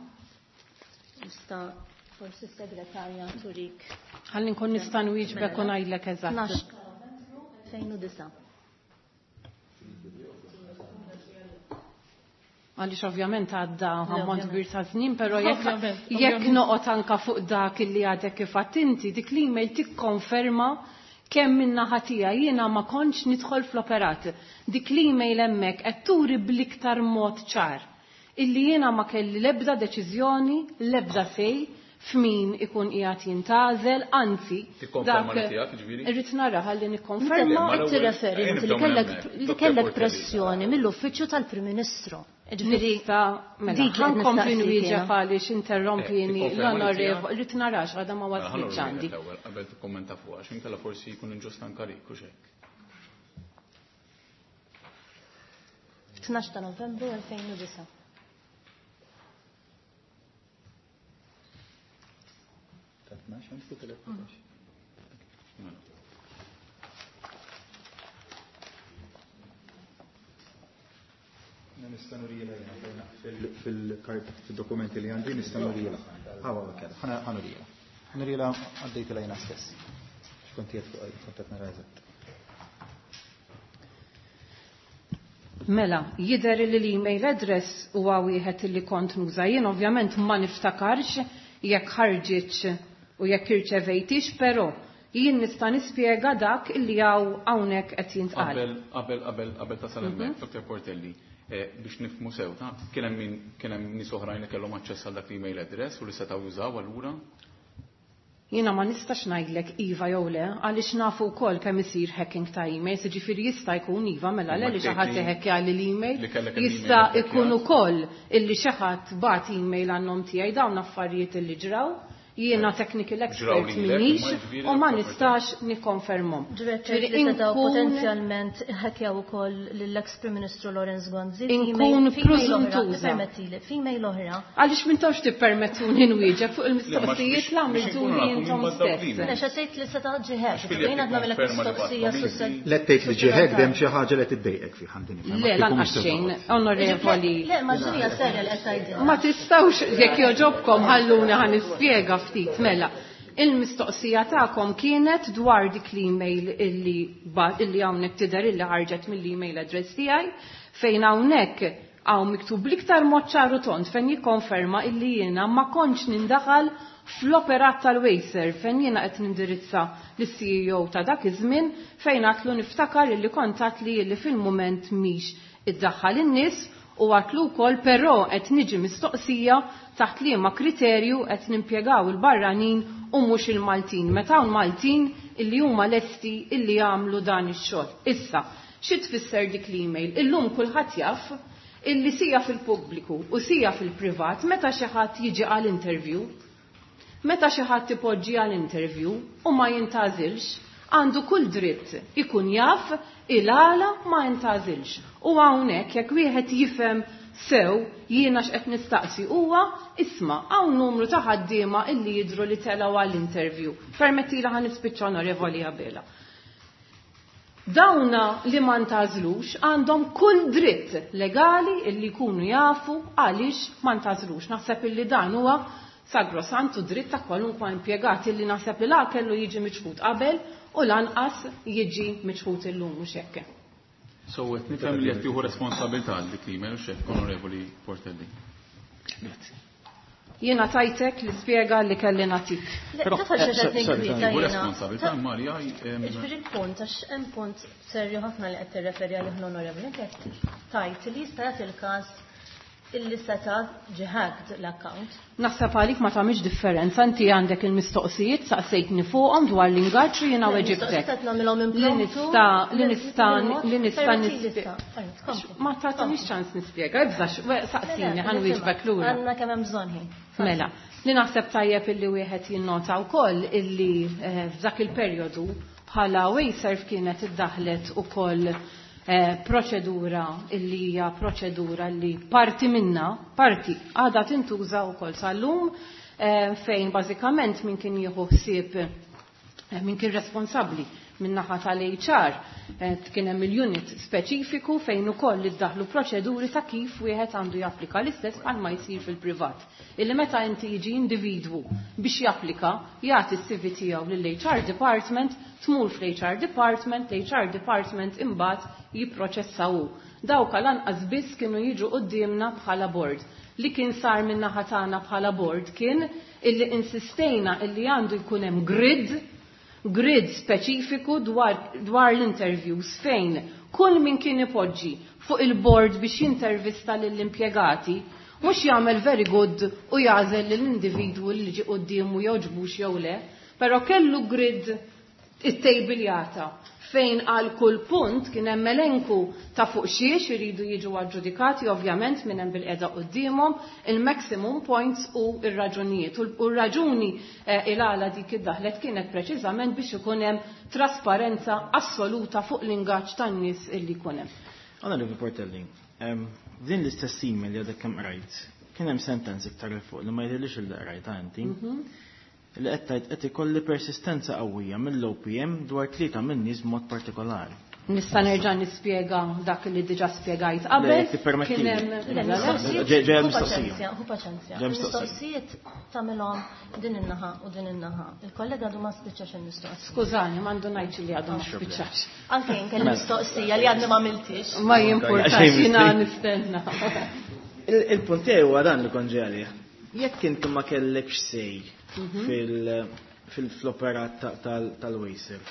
Nista' forsi s-segretarja turik. Ħalli nkun nista' nwieġbek u ngħidlek eżatt. 12 2009. Għaliex ovvjament għadda ammont kbir ta' żmien, però jekk noqgħod anka fuq dak illi għadek kif għadt inti, dik l-email tikkonferma kemm min-naħa tiegħi jiena ma kontx nidħol fl-operat. Dik l-email hemmhekk qed turi bl-iktar mod ċar illi jiena ma kelli l-ebda deċiżjoni, l-ebda sej f'min ikun qiegħed jintgħażel, anzi, Tikkonferma dak li tiegħek, jiġifieri? Irrid nara ħalli nikkonferma. Le, ma Qed l-ewwel tirreferi ejja inti nibdew minn hemmhekk. li Dottor kellek Portelli. pressjoni mill-uffiċċju tal-Prim Ministru. Ġifieri, Nista' mela, dik li qed ħankompli nistaqsik nwieġeb jiena. għaliex interrompini Tikkonferma li l-onorevoli, tiegħek? rrid narax għadha ma Mela, ħa waslitx nurri għandi. l-ewwel qabel tikkummenta fuqha, għax inkella forsi jkun inġust anke għalik u x'hekk. 12 ta' Novembru 2009. Nista' nurila jiena fil-kart fil-dokumenti li għandi nista' nurila. Ħawa kella, ħa nurila. Nurila għaddejtilha jiena stess. X'kont qed fuq kont qed nara eżatt. Mela, jidher li l-email address huwa wieħed li kont nuża. Jien ovvjament ma niftakarx jekk ħarġitx u jekk irċevejtix, però jien nista' nispjega dak illi hawn hawnhekk qed jintqal. Qabel, qabel, qabel, qabel tasal hemmhekk, Dr. Portelli, biex nifhmu sew, ta' kien hemm min, kien hemm nies oħrajn li kellhom aċċess għal dak l-email address u li setgħu jużaw allura? Jiena ma nistax ngħidlek iva jew le, għaliex nafu wkoll kemm isir hacking ta' emails, jiġifieri jista' jkun iva mela le li xi ħadd iħekkja lil email, Li kellek l-email jista' ħekkjat. jkun ukoll illi xi ħadd bagħat email għan-nom tiegħi, dawn affarijiet illi ġraw. Jiena technical Ġraw expert lilek, minix imma jiġifieri u ma l-aktar nistax nikkonfermhom. Ġifieri Ġifieri li setgħu inkun potenzjalment ħekkjaw ukoll lill-ex Prim Ministru Lawrence Gonzi. Inkun Female oħra, preżuntuża. permettili, female oħra. Għaliex m'intomx tippermettuni nwieġeb fuq il-mistoqsijiet Le, ma li biex għamiltuli inkunu nafu intom min baddaw stess. din. Le, xa tgħid li seta' ġi hack, Għax fil-jekk jien għadna mill-ek ikkonferma li mistoqsija baddaw sus- Le tgħid li ġi hack hemm xi ħaġa li tiddejqek fih, għandi nifhem. Le, Kieku lanqas mhux se xejn, toqgħod. onorevoli. Le, ma ġinija serja li qed tgħidilha. Ma tistgħux jekk jogħġobkom ħalluni ħa nispjega ftit mela. Il-mistoqsija tagħkom kienet dwar dik l-email illi hawnhekk tidher illi ħarġet mill-email address tiegħi, fejn hawnhekk hawn miktub l-iktar mod ċar u tond fejn jikkonferma illi jiena ma kontx nindaħal fl-operat tal-Wasteserv fejn jiena qed nindirizza lis-CEO ta' dak iż-żmien fejn għatlu niftakar illi kontat li illi fil-mument mhix iddaħħal in-nies u għatlu wkoll però qed niġi mistoqsija taħt liema kriterju qed nimpjegaw il-barranin u mhux il-Maltin. Meta hawn Maltin illi huma lesti illi jagħmlu dan ix-xogħol. Issa, xi tfisser dik l-email? Illum kulħadd jaf illi sija fil-pubbliku u sija fil-privat meta xi ħadd jiġi għal interview, meta xi ħadd ipoġġi għal interview u ma jintgħażilx, għandu kull dritt ikun jaf il-għala ma jintgħażilx. U hawnhekk jekk wieħed jifhem sew jiena x'qed nistaqsi huwa isma' hawn numru ta' ħaddiema illi jidhru li telgħu għall-interview. Permettila ħa nispiċċa Onorevoli Abela. Dawna li ma ntgħażlux għandhom kull dritt legali illi jkunu jafu għaliex ma ntgħażlux. Naħseb illi dan huwa sagrosantu dritt ta' kwalunkwa impjegat illi naħseb li la kellu jiġi miċħud qabel u lanqas jiġi miċħud illum mhux hekk. So qed nifhem li qed tieħu responsabilità għal dik l-email u x'hekk, Onorevoli Portelli. Grazzi. Jiena tajtek l-ispjega li kelli nagħtik. Taf għal xiex qed ninkwieta Tieħu jiena. responsabilità Marja. Jiġifieri l-punt, għax hemm punt serju ħafna li qed tirreferi għalih l-Onorevoli, inti qed tgħid li jista' jagħti l-każ illi seta' ġie hacked l-account. Naħseb għalik ma tagħmilx differenza, inti għandek il-mistoqsijiet saqsejtni fuqhom dwar l-ingaġġ u jiena weġibtek. Qed nagħmilhom Li impromptu. nista' li nista' li nista' nispjega. Ma tagħtinix ċans nispjega, ibżax, saqsini ħa nwieġbek lura. Għandna kemm hemm bżonn ħin. Mela, li naħseb tajjeb illi wieħed jinnota wkoll illi f'dak il-perjodu bħala Wasteserv kienet iddaħlet ukoll proċedura illi hija proċedura li parti minna, parti għadha tintuża wkoll sal-lum, fejn bażikament min kien jieħu ħsieb, min kien responsabbli min-naħa tal-HR, kien hemm il-unit speċifiku fejn ukoll iddaħlu proċeduri ta' kif wieħed għandu japplika l-istess bħalma jsir fil-privat. Illi meta inti jiġi individwu biex japplika, jagħti s-CV tiegħu lill-HR department, tmur fl-HR department, l-HR department imbagħad jipproċessaw. Dawk lanqas biss kienu jiġu quddiemna bħala board. Li kien sar min-naħa tagħna bħala board kien illi insistejna illi għandu jkun hemm grid speċifiku dwar l-interviews fejn kull min kien ipoġġi fuq il-board biex jintervista lill-impjegati mhux jagħmel very good u jagħżel lill-individwu li ġie quddiemu jogħġbux jew le, però kellu grid it-tejbiljata fejn għal kull punt kien hemm elenku ta' fuq xiex iridu jiġu aġġudikati, ovvjament minn hemm bil-qeda quddiemhom il-maximum points u r-raġunijiet. U r-raġuni il-għala dik id-daħlet kienet preċiżament biex ikun hemm trasparenza assoluta fuq l-ingaġġ tan-nies illi jkun hemm. Onorevoli Portelli, din l-istess email li għadek kemm qrajt, kien hemm sentenza iktar 'il fuq li ma jidhirlix li qrajtha inti. Li qed tgħid qed ikolli persistenza qawwija mill-OPM dwar 3 min-nies b'mod partikolari. Nista' nerġa' nispjega dak li diġà spjegajt qabel. Le, tippermettili. Kien hemm Le, Mela, le. mistoqsijiet, Ġej hu mistoqsija. paċenzja, hu paċenzja. Ġej mistoqsija. Mistoqsijiet tagħmilhom din in-naħa u din in-naħa. Il-kollega għadu ma spiċċax il-mistoqsija. Skużani, m'għandu ngħidx li għadu ma spiċċax. Anke jien kelli mistoqsija li għadni ma għamiltix. Ma jimpurtax, Għaxej jiena mistoqsija. nistenna. Il-punt tiegħi huwa dan li kont ġej għalih. Jekk inti ma kellekx sej fil-operat tal-Wasteserv,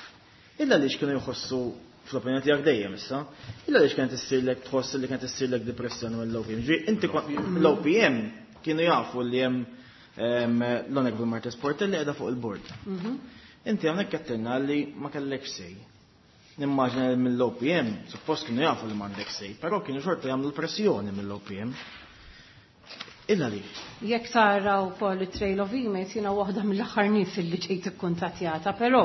illa għaliex kienu jħossu fl-opinjoni tiegħek dejjem issa, illa għaliex kienet issirlek tħoss li kienet issirlek depressjoni mill-OPM. Ġifieri inti l-OPM kienu jafu li hemm l-Honorable Marthese Portelli qiegħda fuq il-board. Inti hawnhekk qed li ma kellekx sej. Nimmaġina li mill-OPM, suppost kienu jafu li m'għandek sej, però kienu xorta jagħmlu pressjoni mill-OPM. Illa li. Jekk tara wkoll it-trail of emails, jiena waħda mill-aħħar nies li ġejt ikkuntattjata, però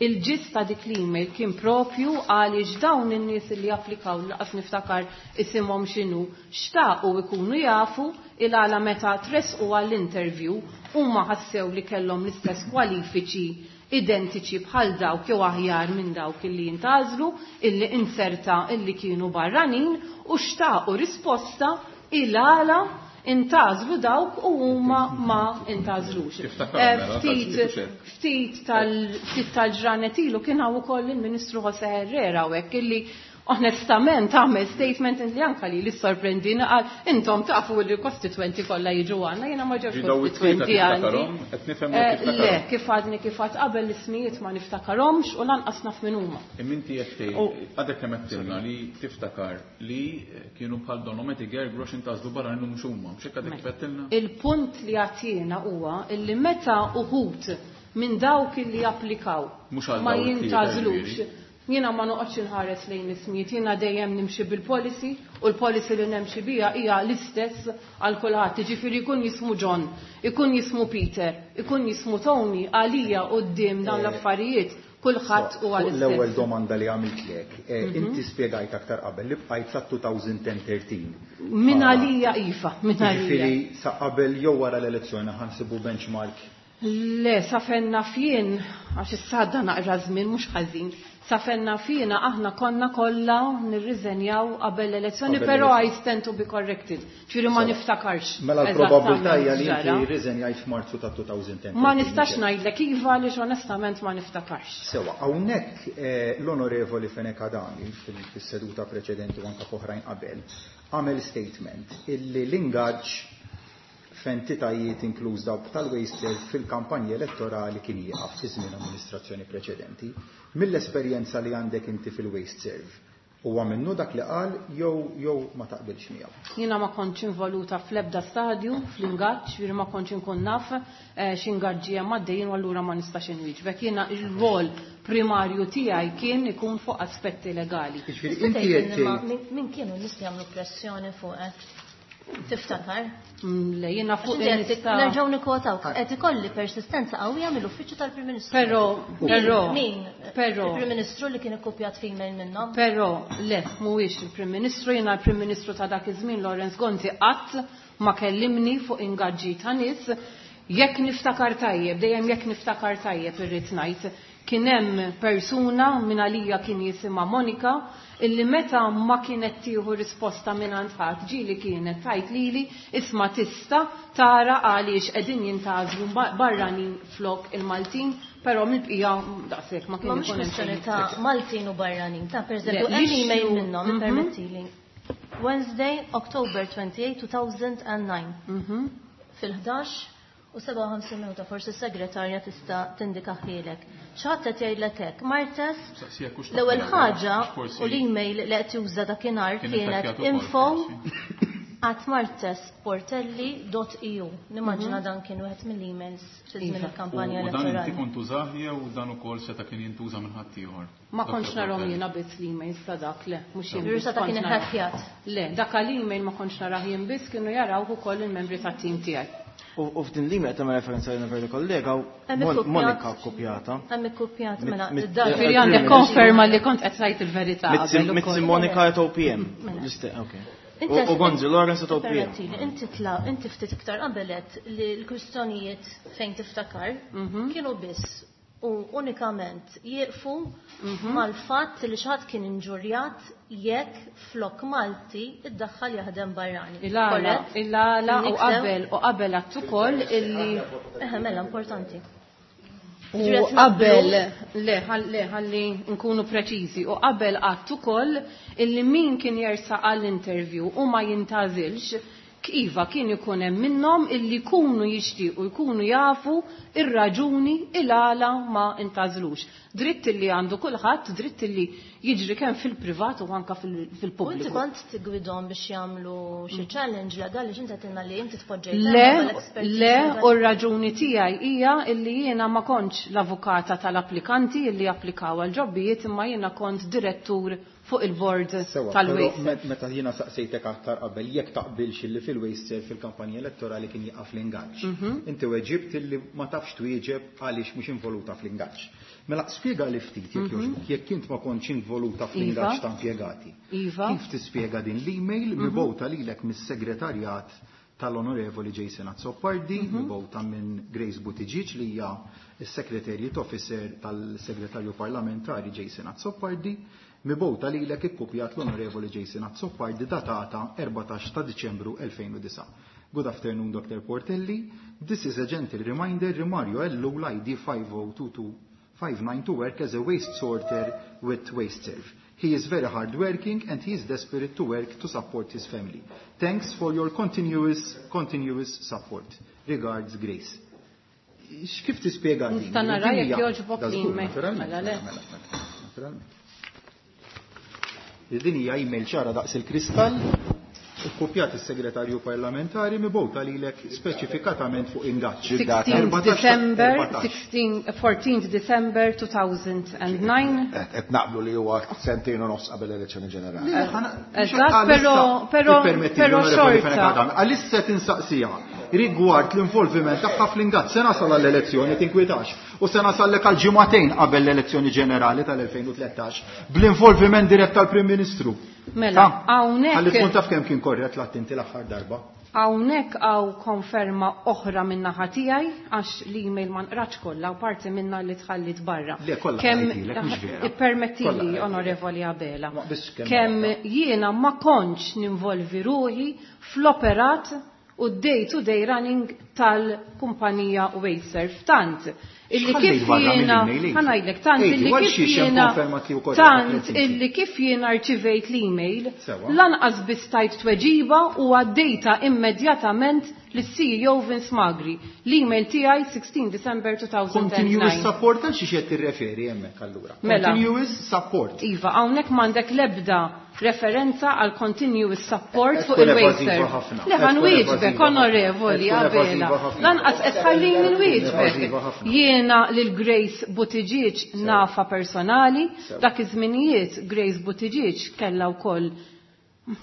il-ġist ta' dik l-email kien propju għaliex dawn in-nies li applikaw laqas niftakar isimhom x'inhu, xtaqu ikunu jafu il-għala meta tresqu għall-interview huma ħassew li kellhom l-istess kwalifiċi identiċi bħal dawk jew aħjar minn dawk illi jintgħażlu, illi inserta illi kienu barranin u xtaqu risposta il-għala intgħażlu dawk u huma ma intgħażlux. Tiftakar, mela, tal-ġifieri. Ftit tal-ġranet ilu kien hawn ukoll il-Ministru Jose Herrera hawnhekk illi onestament għamel statement li anka li li sorprendina qal intom tafu li l-kostituenti kollha jiġu għandna, jiena ma ġewx Ġi daw it-tlieta kostituenti għandi. tiftakarhom? Qed nifhem li tiftakarhom. Le, kif għadni kif għad qabel l-ismijiet ma niftakarhomx u lanqas naf min huma. Imma inti qed tgħid, għadek kemm qed tilna li tiftakar li kienu bħal donhom qed igergru għax intgħażlu barra minnhom mhux huma. Mhux hekk għadek kif qed tilna? Il-punt li għatina huwa illi meta uħud minn dawk illi applikaw Mhux għal ma dawn it-tlieta, jintgħażlux. ġifieri. Jiena ma noqgħodx inħares lejn ismijiet, jiena dejjem nimxi bil-policy u l-policy li nemxi biha hija l-istess għal kulħadd. Jiġifieri jkun jismu John, ikun jismu Peter, ikun jismu Tony, għalija quddiem dawn l-affarijiet kulħadd huwa Fuq l-istess. L-ewwel domanda li għamiltlek, inti spjegajt aktar qabel li bqajt sa 2013. Min għalija iva, min għalija. Jiġifieri sa qabel jew wara l-elezzjoni ħansibu benchmark. Le, sa fenna fien, għax issa għadda naqra żmien mhux ħażin. Sa fenna fiena aħna konna kollha nirriżenjaw qabel l-elezzjoni, Qabel però l-elezzjoni. I stand to be corrected. Ġifieri ma niftakarx. Mela l-probabilità hija li eżattament inti x'ġara. rriżenjajt f'Marzu ta' 2010. Ma nistax ngħidlek iva għaliex onestament ma niftakarx. Sewa, hawnhekk l-Onorevoli Fenech Adami fis-seduta preċedenti u anke f'oħrajn qabel għamel statement illi l-ingaġġ f'entitajiet inkluż dawk tal-WasteServ fil-kampanja elettorali kien jieqaf fi żmien amministrazzjoni preċedenti. Mill-esperjenza li għandek inti fil-WasteServ, huwa minnu dak li qal jew jew ma taqbilx miegħu? Jiena ma kontx involuta fl-ebda stadju fl-ingaġġ, ġifieri ma kontx inkun naf x'ingaġġi hemm għaddejjin u allura ma nistax inwieġbek. Jiena r-rwol primarju tiegħi kien ikun fuq aspetti legali. Jiġifieri inti qed tgħid. Min kienu n-nies li għamlu pressjoni fuqek? Tiftakar? Le, jiena fuq nista'. Nerġgħu nikkwotawk. Qed ikolli persistenza qawwija mill-Uffiċċju tal-Prim Ministru. Però, però. Min? Però. Il-Prim Ministru li kien ikkupjat f'email minnhom? Però, le, mhuwiex il-Prim Ministru, jiena l-Prim Ministru ta' dak iż-żmien Lawrence Gonzi qatt ma kellimni fuq ingaġġi ta' nies. Jekk niftakar tajjeb, dejjem jekk niftakar tajjeb irrid ngħid, kien hemm persuna minn għalija kien jisimha Monika illi meta ma kienet tieħu risposta mingħand ħadd ġieli kienet tgħid lili isma' tista' tara għaliex qegħdin jintgħażlu barranin flok il-Maltin, però mill-bqija daqshekk ma kien Ma mhux kwestjoni ta' Maltin u barranin, ta' pereżempju hemm email minnhom, ippermettili. Wednesday, October 28, 2009. Fil-11 u 57 minuta, forsi s-segretarja tista' tindika ħielek. Xi ħadd qed jgħidlek hekk, Martes, l-ewwel ħaġa u l-email li qed juża dakinhar kienet info at martesportelli.eu. Nimmaġina dan kien wieħed mill-emails fi żmien il-kampanja elettorali. U dan inti kont tużah jew dan ukoll seta' kien jintuża minn ħaddieħor? Ma kontx narahom jiena biss l-emails ta' dak, le, mhux jien biss. Seta' kien iħakkjat. Le, dak l-email ma kontx narah jien biss, kienu jaraw ukoll il-membri tat-tim tiegħi. U f'din l-email qed tagħmel referenza lil onorevoli kollega u Monika kkupjata. Hemm ikkupjat mela Ġifieri għandek konferma li kont qed tgħid il-verità. Mizzi Monika at OPM. U Gonzi Lawrence at OPM. Inti tla inti ftit iktar qabelet li l-kwistjonijiet fejn tiftakar kienu biss u unikament jieqfu mal-fatt li xi ħadd kien inġurjat jekk flok Malti iddaħħal jaħdem barrani. Il-għala, il-għala u qabel u qabel għadt ukoll illi. Eħe, mela importanti. U qabel, le, le, ħalli nkunu preċiżi, u qabel għadt ukoll illi min kien jersaq għall-interview u ma jintgħażilx, iva kien ikun hemm minnhom illi jkunu jixtiequ jkunu jafu ir-raġuni il-għala ma intgħażlux. Dritt illi għandu kulħadd, dritt illi jiġri kemm fil-privat u anka fil-pubbliku. U inti kont tigwidhom biex jagħmlu xi challenge legali x'inti għedtilna li inti tpoġġejt Le, le, u r-raġuni tiegħi hija illi jiena ma kontx l-avukata tal-applikanti illi applikaw għal ġobbijiet imma jiena kont direttur fuq il-board tal-Waste. Meta jiena saqsejtek aktar qabel jekk taqbilx illi fil-WasteServ fil-kampanja elettorali kien jieqaf l-ingaġġ. Inti weġibt illi ma tafx twieġeb għaliex mhux involuta fl-ingaġġ. Mela spjega li ftit jekk jogħġbok, jekk int ma kontx involuta fl-ingaġġ ta' impjegati. Kif tispjega din l-email mibgħuta lilek mis-segretarjat tal-Onorevoli Jason Azzopardi, mibgħuta minn Grace Buttigieg li hija s-Secretariat Officer tal-Segretarju Parlamentari Jason Azzopardi, mibgħuta lilek ikkupjat l-Onorevoli Jason Azzopardi datata 14 ta' Diċembru 2009. Good afternoon, Dr. Portelli. This is a gentle reminder, Mario Ellul ID 502259 to work as a waste sorter with WasteServ. He is very hardworking and he is desperate to work to support his family. Thanks for your continuous support. Regards, Grace. Kif tispjega din? Nista' nara jekk jogħġbok l-email. Naturalment, Mela, le. mela, mela, naturalment. Din hija email ċara daqs il-kristall, ikkupjat is-segretarju parlamentari mibgħuta lilek speċifikatament fuq ingaġġ. 16 December, 14 December 2009. Qed naqblu li huwa sentejn u nofs qabel l-elezzjoni ġenerali. Eżatt, però però xorta. Għalissa tinsaqsija rigward l-involviment tagħha fl-ingaġġ se nasal għall-elezzjoni tinkwitax u se nasallek għal ġimagħtejn qabel l-elezzjoni ġenerali tal-2013 bl-involviment dirett tal-Prim Ministru. Mela, hawnhekk Ħalli tkun taf kemm kien korrett l-attinti l-aħħar darba. Hawnhekk hawn konferma oħra minn naħa tiegħi għax l-email ma nqrax kollha u parti minna li tħallit barra. Le, kollha Kemm qrajtilek, mhux vera. Ippermettili, Kollha qrajtilek. Onorevoli Abela, Ma biss kemm kemm għadha. jiena ma kontx ninvolvi ruħi fl-operat u d-day to day running tal-kumpanija Wasteserv. Tant illi X'ħallejt kif barra jiena mill-email inti? ħa ngħidlek tant Ejdi, illi għal kif xiex hemm jiena konferma tiegħu korretta tant qed inti? illi kif jiena rċivejt l-email Sewa. lanqas biss tajt tweġiba u għaddejta immedjatament lis-CEO Vince Magri. L-email tiegħi 16 December Continuous 2009. support għal xiex qed tirreferi hemmhekk allura. Mela. Continuous support. Iva, hawnhekk m'għandek l-ebda referenza għal continuous support Qed fuq tkun il-Wasteserv. evażiva ħafna. Le Qed ħan tkun wieġbek, evażiva ħafna. onorevoli, Qed tkun Abela. evażiva ħafna. Lanqas qed tħallini nwieġbek. Evażiva ħafna. Jiena lil Grace Buttigieg nafa personali, dak iż-żminijiet Grace Buttigieg kellha wkoll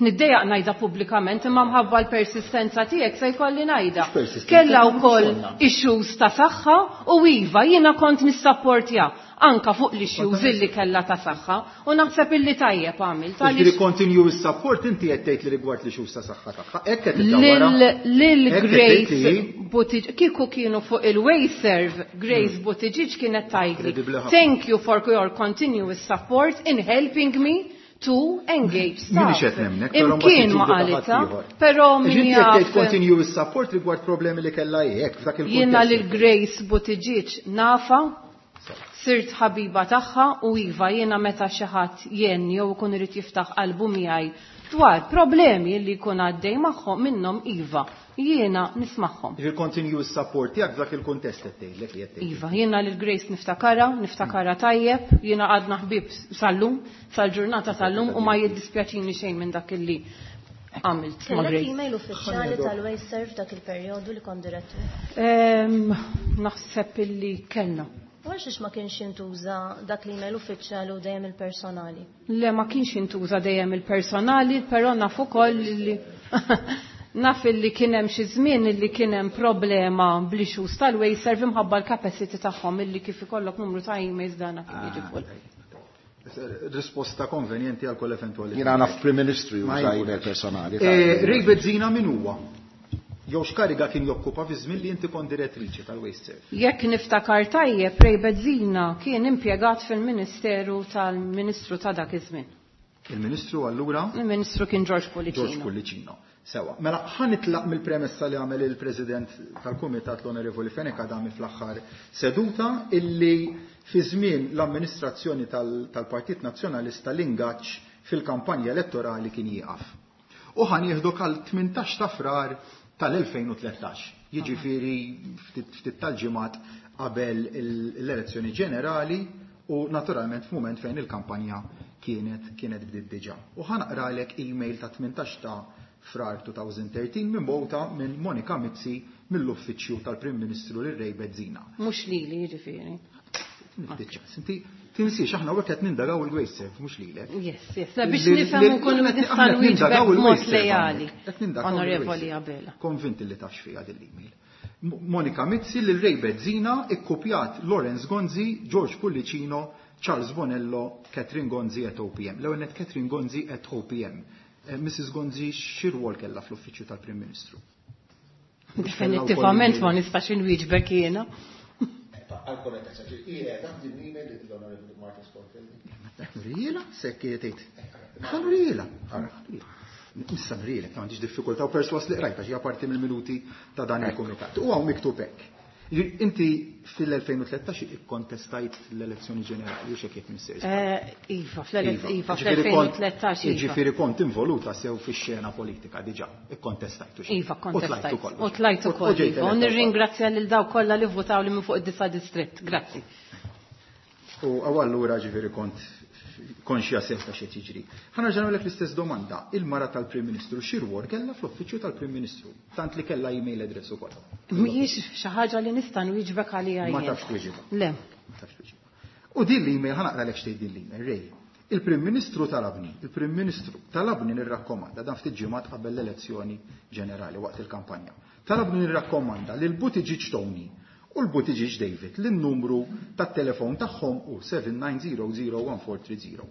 Niddejjaq ngħidha pubblikament imma mħabba l-persistenza tiegħek se jkolli ngħidha. Mhux persistenza, Kellha mhux wkoll konna. issues ta' saħħa u iva jiena kont nissapportja anka fuq l-issues illi kellha ta' saħħa u naħseb illi tajjeb għamilt Ġifieri għaliex continuous support inti qed tgħid li rigward li xus ta' saħħa tagħha. Hekk qed iddawwarha. lil Hekk qed Grace tgħid li Buttigieg kieku kienu fuq il-Wayserv Grace Buttigieg kienet tgħidli Kredibbli ħafna. Thank you for your continuous support in helping me to engage staff. Minix qed nemnek, però mbagħad Imkien ma tiġġudika qalitha, ħaddieħor. però min Ġifieri qed tgħid jaf continuous support rigward problemi li kellha hi, hekk f'dak il-kuntest. Jiena lil Grace Buttigieg nafa, sirt ħabiba tagħha u iva jiena meta xi ħadd jien jew ikun irid jiftaħ qalbu miegħi dwar problemi li jkun għaddej magħhom minnhom iva, jiena nismagħhom. Ġifieri continuous support tiegħek f'dak il-kuntest qed tgħidlek li qed tgħid. Iva, jiena lil Grace niftakara, niftakara tajjeb, jiena għadna ħbib sal-lum, sal-ġurnata tal-lum u ma jiddispjaċini xejn minn dak illi għamilt ma' Kellek Grace. email uffiċjali tal-Wasteserv dak il-perjodu li kont direttur. Naħseb illi kellna. U għal xiex ma kienx jintuża dak l-email uffiċjali u dejjem il-personali? Le ma kienx jintuża dejjem il-personali, però naf ukoll li naf illi kien hemm xi żmien illi kien hemm problema bl-issues tal-Wasteserv imħabba l-capacity tagħhom illi kif ikollok numru ta' emails dana kien jiġi full. Risposta konvenjenti għal kull eventualità. Jiena naf Prim Ministru Ma juża jkun. email personali. Ray Bezzina min huwa? Jew x'kariga kien jokkupa fi żmien li inti kont direttriċi tal-Wasteserv? Jekk niftakar tajjeb, Ray Bezzina kien impjegat fil-Ministeru tal-Ministru ta' dak iż-żmien. Il-Ministru allura Il-Ministru kien George George Pullicino. Pullicino. Sewa, mela ħa nitlaq mill-premessa li għamel il-President tal-Kumitat l-Onorevoli Fenech Adami fl-aħħar seduta illi fi żmien l-amministrazzjoni tal-Partit Nazzjonalista l-ingaġġ fil-kampanja elettorali kien jieqaf. U ħa nieħdok għal 18 ta' Frar tal-2013, jiġifieri ftit tal-ġimgħat qabel l-elezzjoni ġenerali u naturalment f'mument fejn il-kampanja kienet bdiet diġà. U ħa naqralek email ta' 18 ta' Frar 2013 minn bota minn Monika Mizzi mill-uffiċċju tal-Prim Ministru lil Ray Bezzina. Mhux lili jiġifieri. Niftit ċans. Inti tinsiex aħna hawnhekk qed nindagaw il-Wasteserv mhux lilek. Yes, yes. La biex nifhem unkun nista' nwieġbek b'mod lejali. Onorevoli Abela. Konvinti li tafx fiha din l-email. Monika Mizzi lil Ray Bezzina ikkupjat Lawrence Gonzi, George Pullicino, Charles Bonello, Catherine Gonzi at OPM. L-ewwel nett Catherine Gonzi at OPM. Mrs. Gonzi x'irwol kellha fl-uffiċċju tal-Prim Ministru? Definittivament ma nistax inwieġbek jiena. Għal-korrettezza, qiegħda din l-email l-Onorevoli Martin Sportelli. Nuriela, sekk tgħid. Nuriela. Issa nurielek, ma għandix diffikultà u perswas li qrajta xi parti mill-minuti ta' dan il-kumitat. U hawn miktub hekk. Inti fil-2013 ikkontestajt l-elezzjoni ġenerali, u x'hekk jekk missir. Iva, fl-2013 iva. Ġifieri kont involuta sew fix-xena politika diġà, ikkontestajt u xejn. Iva, kontestajt. U tlajt ukoll. U tlajt ukoll, U ġejt iva. U eletta wkoll. nirringrazzja lil dawk kollha li votaw li minn fuq id-disa' distrett. Grazzi. U allura ġifieri kont konxja sew ta' xi jiġri. Ħa nerġa' nagħmlek l-istess domanda. Il-mara tal-Prim Ministru xi rwol kellha fl-uffiċċju tal-Prim Ministru, tant li kellha email address ukoll. Mhijiex xi ħaġa li nista' nwieġbek għaliha Ma jien. tafx tweġibha. Le. Ma tafx tweġibha. U din l-email ħa naqralek x'tgħid din l-email, Ray. Il-Prim Ministru talabni, il-Prim Ministru talabni nirrakkomanda dan ftit ġimgħat qabel l-elezzjoni ġenerali waqt il-kampanja. Talabni nirrakkomanda lil Buttigieg Tony u l-Buttigieg David lin-numru tat-telefon tagħhom hu 79001430.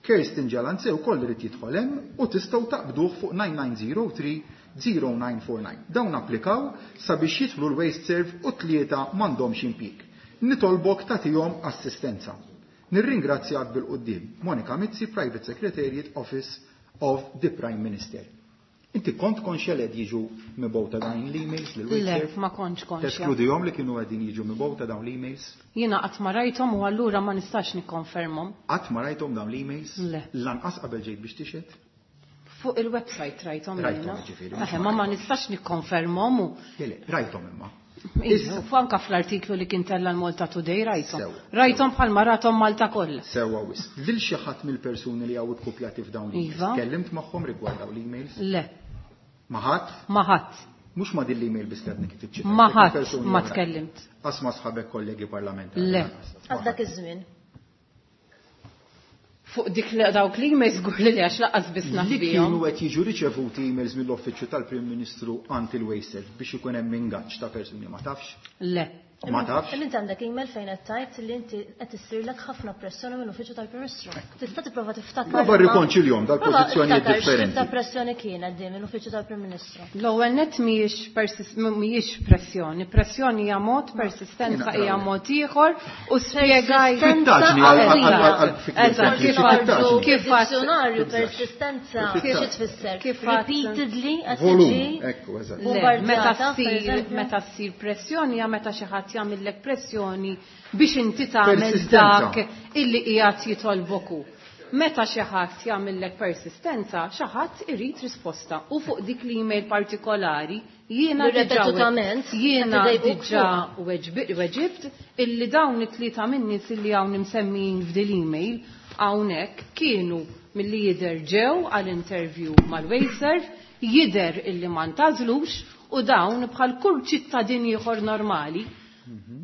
Kirsten Gialanze wkoll irid jidħol hemm u tistgħu taqbduh fuq 9903-0949. Dawn applikaw sabiex jidħlu l-Wasteserv u tlieta m'għandhomx impjieg. Nitolbok tagħtihom assistenza. Nirringrazzjak bil-quddiem. Monika Mizzi, Private Secretariat Office of the Prime Minister. Inti kont konxja li qed jiġu mibgħuta dawn l-emails lil Le, Wasteserv? ma kontx konxja. Teskludihom li kienu qegħdin jiġu mibgħuta dawn l-emails? Jiena qatt ma rajthom u allura ma nistax nikkonfermhom. Qatt ma rajthom dawn l-emails? Le. Lanqas qabel ġejt biex tixhed? Fuq il-website rajthom Rajthom, jiena. jiġifieri, Eħe, ma ma nistax nikkonfermhom u Le, le, rajthom imma. Iva, u anka fl-artiklu li kien tella l-Malta Today rajthom. Sewa. Rajthom bħalma rathom Malta kollha. Sewwa wisq. Lil xi ħadd mill-persuni li hawn ikkupjati f'dawn l-emails. Iva. Tkellimt magħhom rigward dawn l-emails? Le, Ma ħadd? ma ħadd. Mhux ma din l-email biss li għadni kif iċċitajt. Ma ħadd Persuni ma oħra. tkellimt. Qas ma sħabek kollegi parlamentari. Le. lanqas. Ma Għal dak ħadd. iż-żmien. Fuq dik li dawk li emails żgur li le għax lanqas biss naf Li bihom. kienu qed jiġu riċevuti emails mill-Uffiċċju tal-Prim Ministru għand il-Wasteserv biex ikun hemm ingaġġ ta' persuni ma tafx? Le. Ma tafx? Imma inti għandek email fejn qed tgħid li inti qed issirlek ħafna pressjoni mill-Uffiċċju tal-Prim Ministru. Tista' tipprova tiftakar. Prova rrikonċiljhom dal-pożizzjonijiet Prova tiftakar differenti. x'tip ta' pressjoni kienet din mill-Uffiċċju tal-Prim Ministru. L-ewwel nett mhijiex persis- mhijiex pressjoni, pressjoni hija mod, persistenza hija mod ieħor u spjegaj Persistenza Fittaġni għal- għal- għal- għal- fikri Eżatt, sempliċi, kif għad- fittaġni. kif għad- Dizzjonarju persistenza Fittaġni. xi tfisser? Kif għad- Repeatedly qed Volum, tiġi ekku, eżatt. Le, meta bombardjata, per ssir eżempju. meta ssir pressjoni hija meta xi ħadd jagħmellek pressjoni biex inti tagħmel Persistenza. dak illi qiegħed jitolbok hu. Meta xi ħadd jagħmellek persistenza, xi ħadd irid risposta u fuq dik l-email partikolari jiena Li diġà ripetutament jiena qed idejquk diġà weġibt illi dawn it-tlieta min-nies illi hawn imsemmijin f'dil email hawnhekk kienu milli jidher ġew għal interview mal-Wasteserv, jidher illi ma ntażlux u dawn bħal kull ċittadin ieħor normali,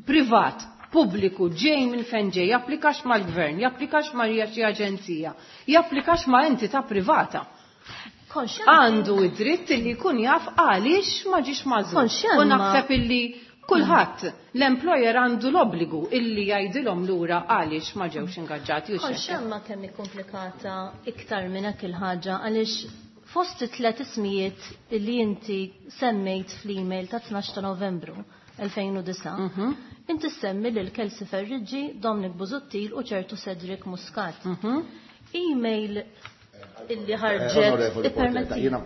privat, pubbliku, ġej minn fejn ġej, japplikax mal-gvern, japplikax ma' xi aġenzija, japplikax ma' entità privata. Konxja Għandu id-dritt illi jkun jaf għaliex ma ġiex magħżul. Konxja U ma- naħseb illi kulħadd l-employer għandu l-obbligu illi jgħidilhom lura għaliex ma ġewx ingaġġati u xejn. Konxja ma kemm hi komplikata iktar minn hekk il-ħaġa għaliex fost it-tlet ismijiet li inti semmejt fl-email ta' 12 ta' Novembru 2009, inti semmi lil Kelsey Ferriggi, Dominic Busuttil u ċertu Cedric Muscat. Email illi ħarġet Onorevoli Portella, ippermetti. jiena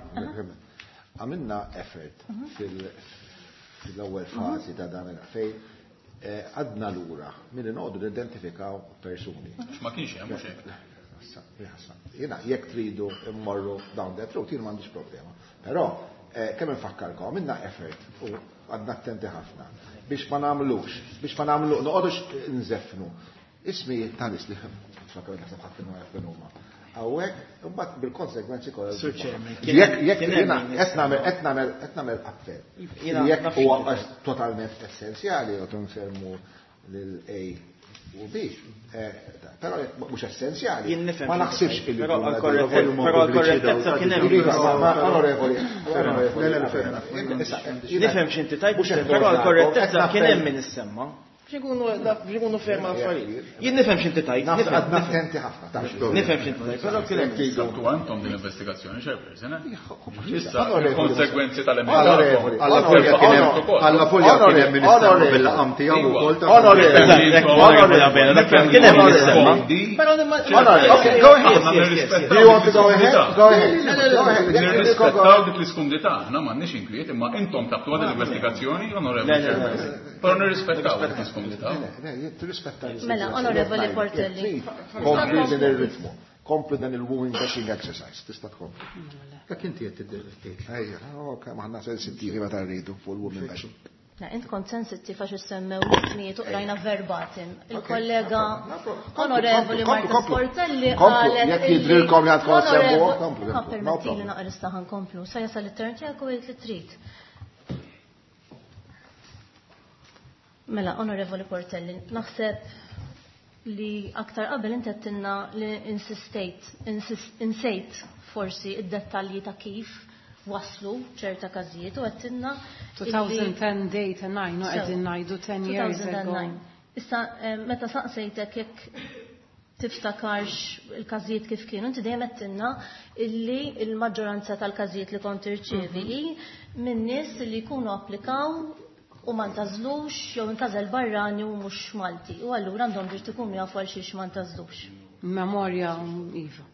għamilna effort fil-ewwel fażi ta' dan il- fejn għadna lura milli noqogħdu nidentifikaw persuni. Ma kienx hemm mhux hekk. Jiena jekk tridu immorru down that road, jiena m'għandix problema. Però kemm infakkarkom, għamilna effort u għadna attenti ħafna biex ma nagħmlux, biex ma nagħmlu, noqogħdux nżeffnu. Ismi ta' nies li tfakkar naħseb ħadd kienu jaf min huma. Hawnhekk, imbagħad bil-konsegwenzi kollha. Sur Chairman, kien Jekk hemm- jekk kien hemm jiena min qed nagħmel qed nagħmel qed nagħmel appell. Jiena Jekk naf huwa x'inti. totalment essenzjali u nsemmu lil A u B, però jekk mhux essenzjali. Jien nifhem Ma x'inti naħsibx tgħid, illi però jkun għal però għal-korrettezza kien hemm Iva, ma- onorevoli, onorevoli. Le, le, le, fair enough. Issa, Nifhem x'inti tajt, mhux qed però nordnakom, għal-korrettezza qed kien hemm nappell. min issemma. Biex ikunu ferma l-affarijiet. Jien nifhem x'inti tajt, Naf- Attenti ħafna, tafx. nifhem x'inti tajt, però kien hemm min issemma. Sabtu għandhom din l-investigazzjoni, chairperson, eh? Issa, Onorevoli. il-konsegwenzi Onorevoli. tal-emenda. Alla folja kien hemm alla folja kien hemm min issemma bil-laqam tiegħu wkoll ta' Onorevoli. Kien hemm min issemma. Onorevoli, okay, go ahead. Do you want to go ahead? Go ahead. Go ahead. Jekk tridu go Nirrispettaw ahead. dik l-iskumdità, aħna m'għandniex inkwiet, imma intom tabtu għad l-investigazzjoni, onorevoli Le, le, le. chairperson. Però nirrispettaw dik l-iskumdità. Le, le, jien tirrispetta l- Mela, onorevoli Portelli. Kompli din il-ritmu. Kompli dan il-woman bashing exercise. Tista' tkompli. Dak inti qed tiddelettit. Ejja, ok, maħna sensittivi meta rridu fuq il-woman bashing. Na, int kont sensittiv għax issemmew l-ismijiet u qrajna verbatim. Il-kollega No problem. Komplu, onorevoli komplu, Marta komplu. Sportelli Komplu, qalet jekk illi- jidrilkom li għandkom Onorevoli- semmuha, komplu, Ma komplu. No permettili problem. naqra issa ħankomplu. Sa jasal it-turn tiegħek u għidt li trid. Mela, onorevoli Portelli, naħseb li aktar qabel inti għedtilna li insistejt, insejt forsi id-dettalji ta' kif waslu ċerta każijiet u għedtilna illi- 2010 date and 9, u So, qegħdin ngħidu 10 years ago. 2009. Issa, meta saqsejtek jekk tiftakarx il-każijiet kif kienu, inti dejjem għedtilna illi il-maġġoranza tal-każijiet li kont tirċievi hi minn nies li jkunu applikaw u ma ntażlux jew intażel barrani u mhux Malti. U allura għandhom dritt ikunu jafu għal xiex ma ntażlux. Memorja, Iva.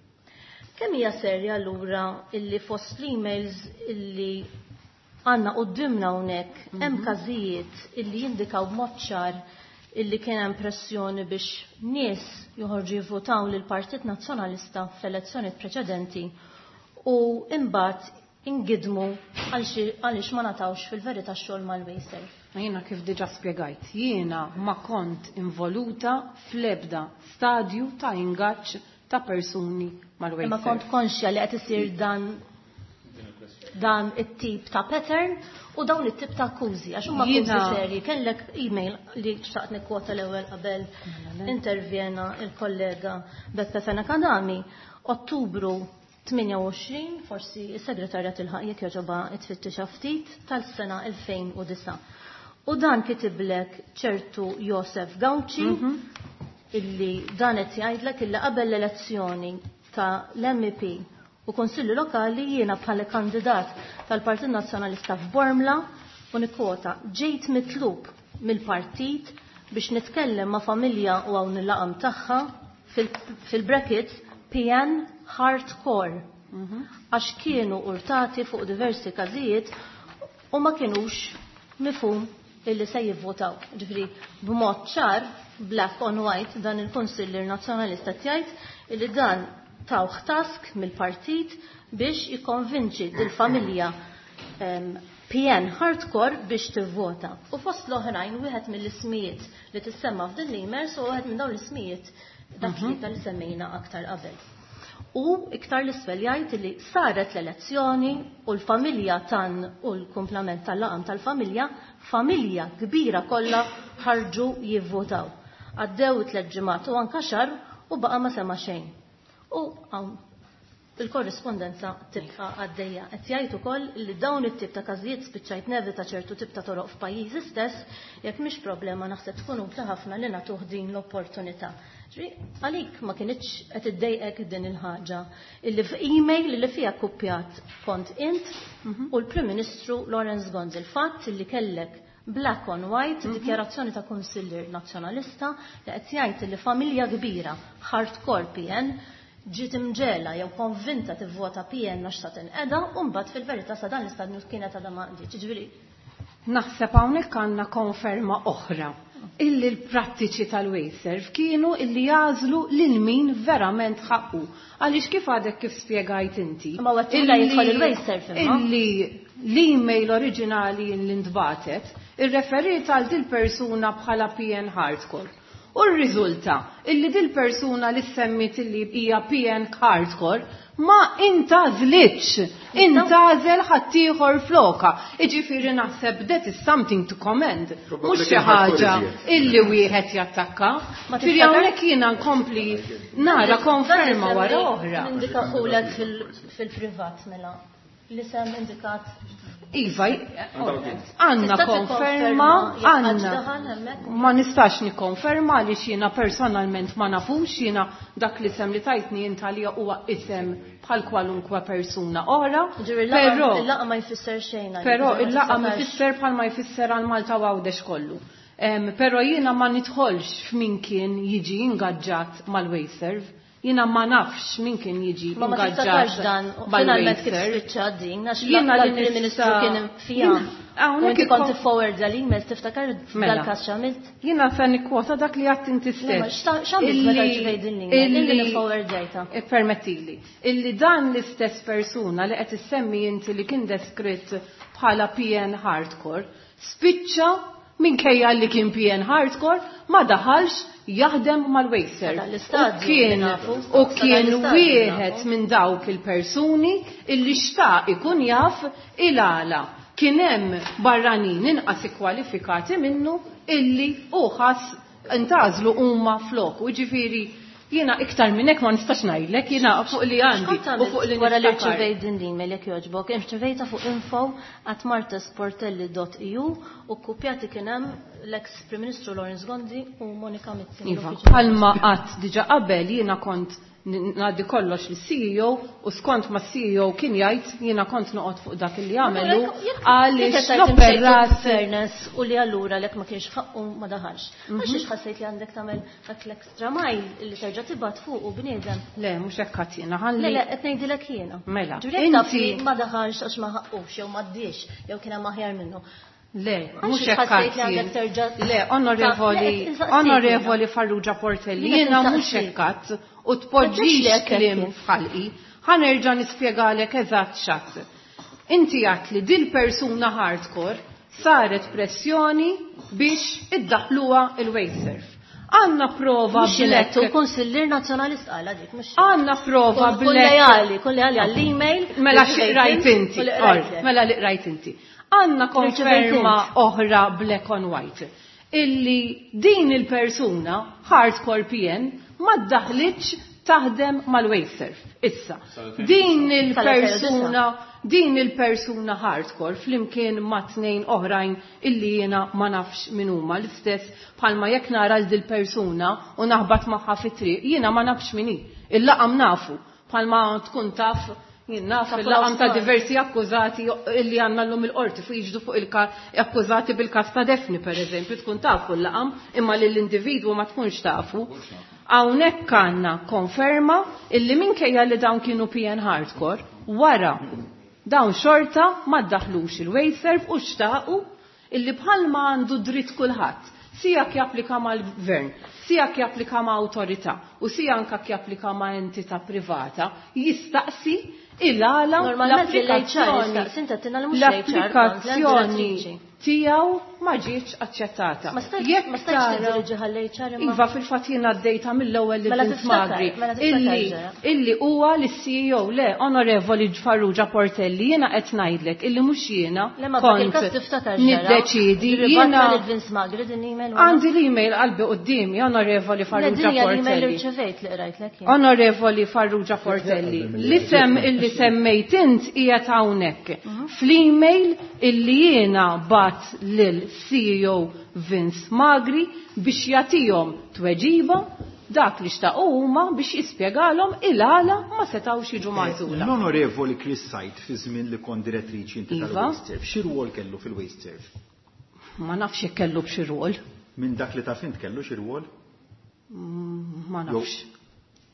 Kemm hija serja allura illi fost l-emails illi għandna quddiemna hawnhekk hemm każijiet illi jindikaw b'mod ċar illi kien hemm pressjoni biex nies joħorġu jivvotaw lil Partit Nazzjonalista fl-elezzjoni preċedenti u imbagħad ingidmu għaliex ma natawx fil-verità xogħol mal-Wasteserv. Jiena kif diġà spjegajt, jiena ma kont involuta fl-ebda stadju ta' ingaġġ ta' persuni mal-Wasteserv. Imma kont konxja li qed isir dan dan it-tip ta' pattern u dawn it-tip ta' akkużi, għax huma akkużi serji. Kellek email li xtaqt nikkwota l-ewwel qabel intervjena il-kollega Beppe Fenech Adami, Ottubru 28, forsi s-segretarja tilħaq jekk jogħġobha tfittixha ftit, tal-sena 2009. U dan kitiblek ċertu Josef Gauci, illi dan qed jgħidlek illi qabel l-elezzjoni ta' l-MEP u Konsilli Lokali jiena bħala kandidat tal-Partit Nazzjonalista f'Bormla u nikkwota ġejt mitlub mill-partit biex nitkellem ma' familja u hawn il-laqam tagħha fil-brackets PN hardcore għax kienu urtati fuq diversi każijiet u ma kienux mifhum illi se jivvotaw. Ġifieri b'mod ċar, black on white, dan il-Kunsillier Nazzjonalista jgħid illi dan tawh task mill-partit biex jikkonvinċi dil-familja PN hardcore biex tivvota. U fost l-oħrajn wieħed mill-ismijiet li tissemma f'din l-email u wieħed minn dawn l-ismijiet dak li semmejna aktar qabel. U iktar l-isfel jgħid li saret l-elezzjoni u l-familja tan u l-kumplament tal-laqam tal-familja, familja kbira kollha ħarġu jivvotaw. Għaddew 3 ġimgħat u anka xahar u baqa' ma sema xejn. U hawn il-korrispondenza tibqa' għaddejja. Qed jgħid ukoll li dawn it-tip ta' każijiet spiċċajt nevita ċertu tip ta' toroq f'pajjiżi stess, jekk mhix problema naħseb tkun utli ħafna li nagħtuh din l-opportunità. Għalik ma kienitx qed iddejqek din il-ħaġa illi f'email li fiha kuppjat kont int u l-Prim Ministru Lawrence Gonzi, il-fatt li kellek black on white, dikjarazzjoni ta' Kunsillier Nazzjonalista li qed jgħid li familja kbira hardcore PN ġiet imġela jew konvinta tivvota PN għax ta' tinqeda u mbagħad fil-verità sa dan l-istadju kienet għadha ma qdietx. Ġifieri naħseb hawnhekk għandna konferma oħra illi l-prattiċi tal-Wasteserv kienu illi jażlu lil min verament ħaqqu. Għaliex kif għadek kif spjegajt inti? Ma għattu la jidħol il-Wasteserv imma. Illi l-email oriġinali li ntbatet irreferiet għal dil persuna bħala PN Hardcore. U r-riżulta illi dil persuna li semmit illi hija PN Hardcore ma intażlitx, intażel ħaddieħor floka. Iġifieri naħseb that is something to commend. Mhux xi ħaġa illi wieħed jattakka. Ġifieri hawnhekk jiena nkompli nara konferma wara oħra. Indika ħulek fil-privat mela. L-isem indikat. Iva, għanna konferma, għanna. Ma nistax nikkonferma li jiena personalment ma nafux, jiena dak l-isem li tajtni intalija huwa isem bħal kwalunkwe persuna oħra. Però il-laqa ma jfisser xejn. Però il-laqa ma jfisser bħal ma jfisser għal Malta u Għawdex kollu. Però jiena ma nidħolx f'min kien jiġi ingaġġat mal-Wasteserv. Jiena ma nafx min kien jiġi Ma ma ingaġġat tistax dan, finalment kif spiċċa din, għax Jiena li l-Prim Ministru nista' kien fija. Hawnhekk U inti kont ikon- tifforward l-email, tiftakar Mela. dal-każ x'għamilt? Jiena se nikkwota dak li għadt inti Le, ma stess. x'għamilt meta rċivejt din l-email? Illi nifforwardjajta. Permettili. Illi dan l-istess persuna li qed issemmi inti li kien deskritt bħala PN Hardcore, spiċċa minkejja li kien PN Hardcore ma daħalx jaħdem mal-Wasteserv. Sa dal-istadju U kien nafu. u Sa kien dal-istadju wieħed nafu. minn dawk il-persuni illi xtaq ikun jaf il-għala. Kien hemm barranin inqas ikkwalifikati minnu illi u ħass intażlu huma floku. Ġifieri jiena iktar minn hekk ma nistax ngħidlek, jiena fuq li għandi X'kont u fuq li wara li niftakar. rċevejt din l-email jekk jogħġbok, irċevejta fuq info at martasportelli dot e u u kkupjati kien hemm l-ex Prim Ministru Lawrence Gonzi u Monica Mizzi. Iva, bħalma qatt diġà qabel jiena kont ngħaddi kollox lis-CEO u skont ma CEO kien jgħid jiena kont noqgħod fuq dak li għamelu għaliex l-operat fairness u li allura lek ma kienx ħaqqu ma daħalx. Għax ħassejt li għandek tagħmel dak l-extra mile li terġa' tibgħat fuq u bniedem. Le, mhux hekk ħadd jiena ħalli. Le, le, qed ngħidilek jiena. Mela. Inti ma daħalx għax ma ħaqqux jew ma ddiex jew kien hemm aħjar minnu. Le, mhux hekk. Le, onorevoli, onorevoli Farrugia Portelli, jiena mhux hekk u tpoġġix kliem f'ħalqi. Ħa nerġa' nispjegalek eżatt x'għadt. Inti għadt li dil persuna hardcore saret pressjoni biex iddaħluha il-Wasteserv. Għandna prova black. U konsillier nazzjonalist qala dik mhux. Għandna prova black. Kun leali, kun leali għall-email. Mela xi qrajt inti. Mela li qrajt inti. Għandna konferma oħra black on white illi din il-persuna hardcore PN ma ddaħlitx taħdem mal-Wasteserv. Issa, din il-persuna din il-persuna hardcore flimkien ma' tnejn oħrajn illi jiena ma nafx min huma l-istess bħalma jekk nara l dil persuna u naħbat magħha fit-triq, jiena ma nafx min hi. Il-laqam nafu bħalma tkun taf jien naf il-laqam ta' diversi akkużati illi għandna llum il-qorti fuq jiġdu fuq il akkużati bil-każ ta' Daphne pereżempju tkun tafu l-laqam imma lill-individwu ma tkunx tafu. Hawnhekk għandna konferma illi minkejja li dawn kienu PN hardcore wara dawn xorta ma ddaħlux il-Wasteserv u xtaqu illi bħalma għandu dritt kulħadd sija japplika mal-gvern, sija japplika ma' awtorità u sija anka japplika ma' entità privata, jistaqsi il-għala l-applikazzjoni tiegħu ma ġietx aċċettata. Ma stajtx. Iva, fil-fatt jiena għaddejta mill-ewwel li Vince Magri illi huwa l-CEO. Le, onorevoli Farrugia Portelli, jiena qed ngħidlek illi mhux jiena kont niddeċidi. Jiena għandi l-email qalbi quddiemi, onorevoli Farrugia Portelli. Onorevoli Farrugia Portelli, l-isem illi semmejt int qiegħed hawnhekk. Fl-email illi jiena bgħatt lil CEO Vince Magri biex jagħtihom tweġiba dak li xtaqu huma biex jispjegalhom il-għala ma setgħux jiġu magħżula. L-onorevoli Chris Said fi żmien li kont direttriċi inti tal-Wasteserv, xi rwol kellu fil-Wasteserv? Ma nafx jekk kellu b'xi rwol. Minn dak li taf int kellu xi rwol? Ma nafx.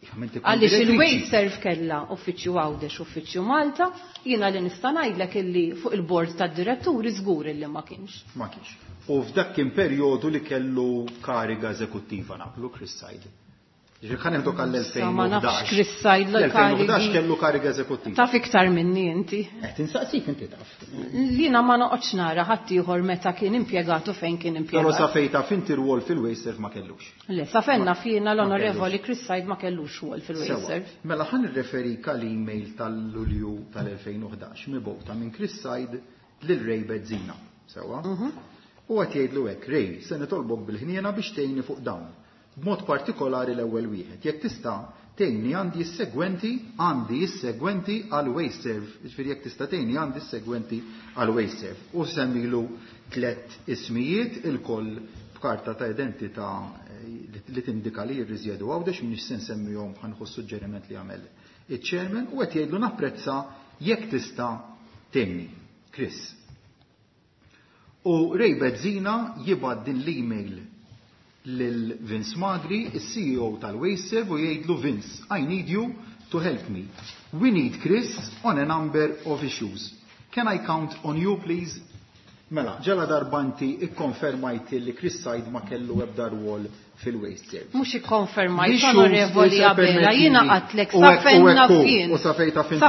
Għaliex il-Wasteserv kella uffiċċju Għawdex, uffiċċju Malta, jiena li nista' ngħidlek illi fuq il-bord tad-diretturi żgur illi ma kienx. Ma kienx. U f'dak kien perjodu li kellu kariga eżekuttiva naqblu Chris Said. Ġifieri ħa neħduk għall-2011. Ma nafx Chris Said l-2011 kellu kariga eżekuttiva. Taf iktar minni inti. Qed insaqsik, inti taf. Jiena ma noqgħodx nara ħadd ieħor meta kien impjegatu fejn kien impjegat. Però sa fejn taf inti rwol fil-Wasteserv ma kellux. Le, sa fejn naf jiena l-onorevoli Chris Said ma kellux rwol fil-Wasteserv. Mela ħa nirreferik għal email tal-Lulju tal-2011 mibgħuta minn Chris Said lil Ray Bezzina. Sewa? U qed jgħidlu hekk: "Ray, se nitolbok bil-ħniena biex tgħinni fuq dawn. B'mod partikolari l-ewwel wieħed. Jekk tista' tgħinni għandi s-segwenti, għandi s-segwenti għal Wasteserv, jiġifieri jekk tista' tgħinni għandi s-segwenti għal Wasteserv." U semmilu tliet ismijiet ilkoll b'karta ta' identità li tindika li jirriżjedu Għawdex, m'iniex se nsemmihom, ħa nieħu suġġeriment li għamel iċ-chairman, u qed jgħidlu napprezza jekk tista' tgħinni. Chris. U Ray Bezzina jibgħat din l-email lil Vince Magri, il-CEO tal-Wasteserv, u jgħidlu: "Vince, I need you to help me. We need Chris on a number of issues. Can I count on you, please?" Mela, ġala darba inti ikkonfermajt li Chris Said ma kellu ebda rwol fil-Wasteserv. Mhux ikkonfermajt, onorevoli Abela, jiena għedtlek sa fejn naf jien. U sa fejn taf intu.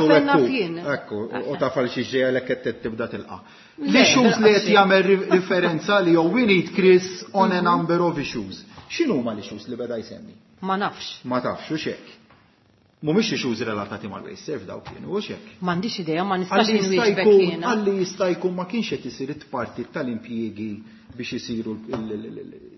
Ekku, u taf għal xi ġejja l qed tibda tilqa'. L-issues li qed jagħmel riferenza li we need Chris on a number of issues. X'inhu ma l-issues li beda jsemmi? Ma nafx. Ma tafx, u xek. Mhumiex issues relatati mal-Wasteserv daw kienu, u xek. M'għandix idea, ma nistax inwieġbek jiena. Għalli jista' jkun ma kienx qed isir it-parti tal-impjiegi biex isiru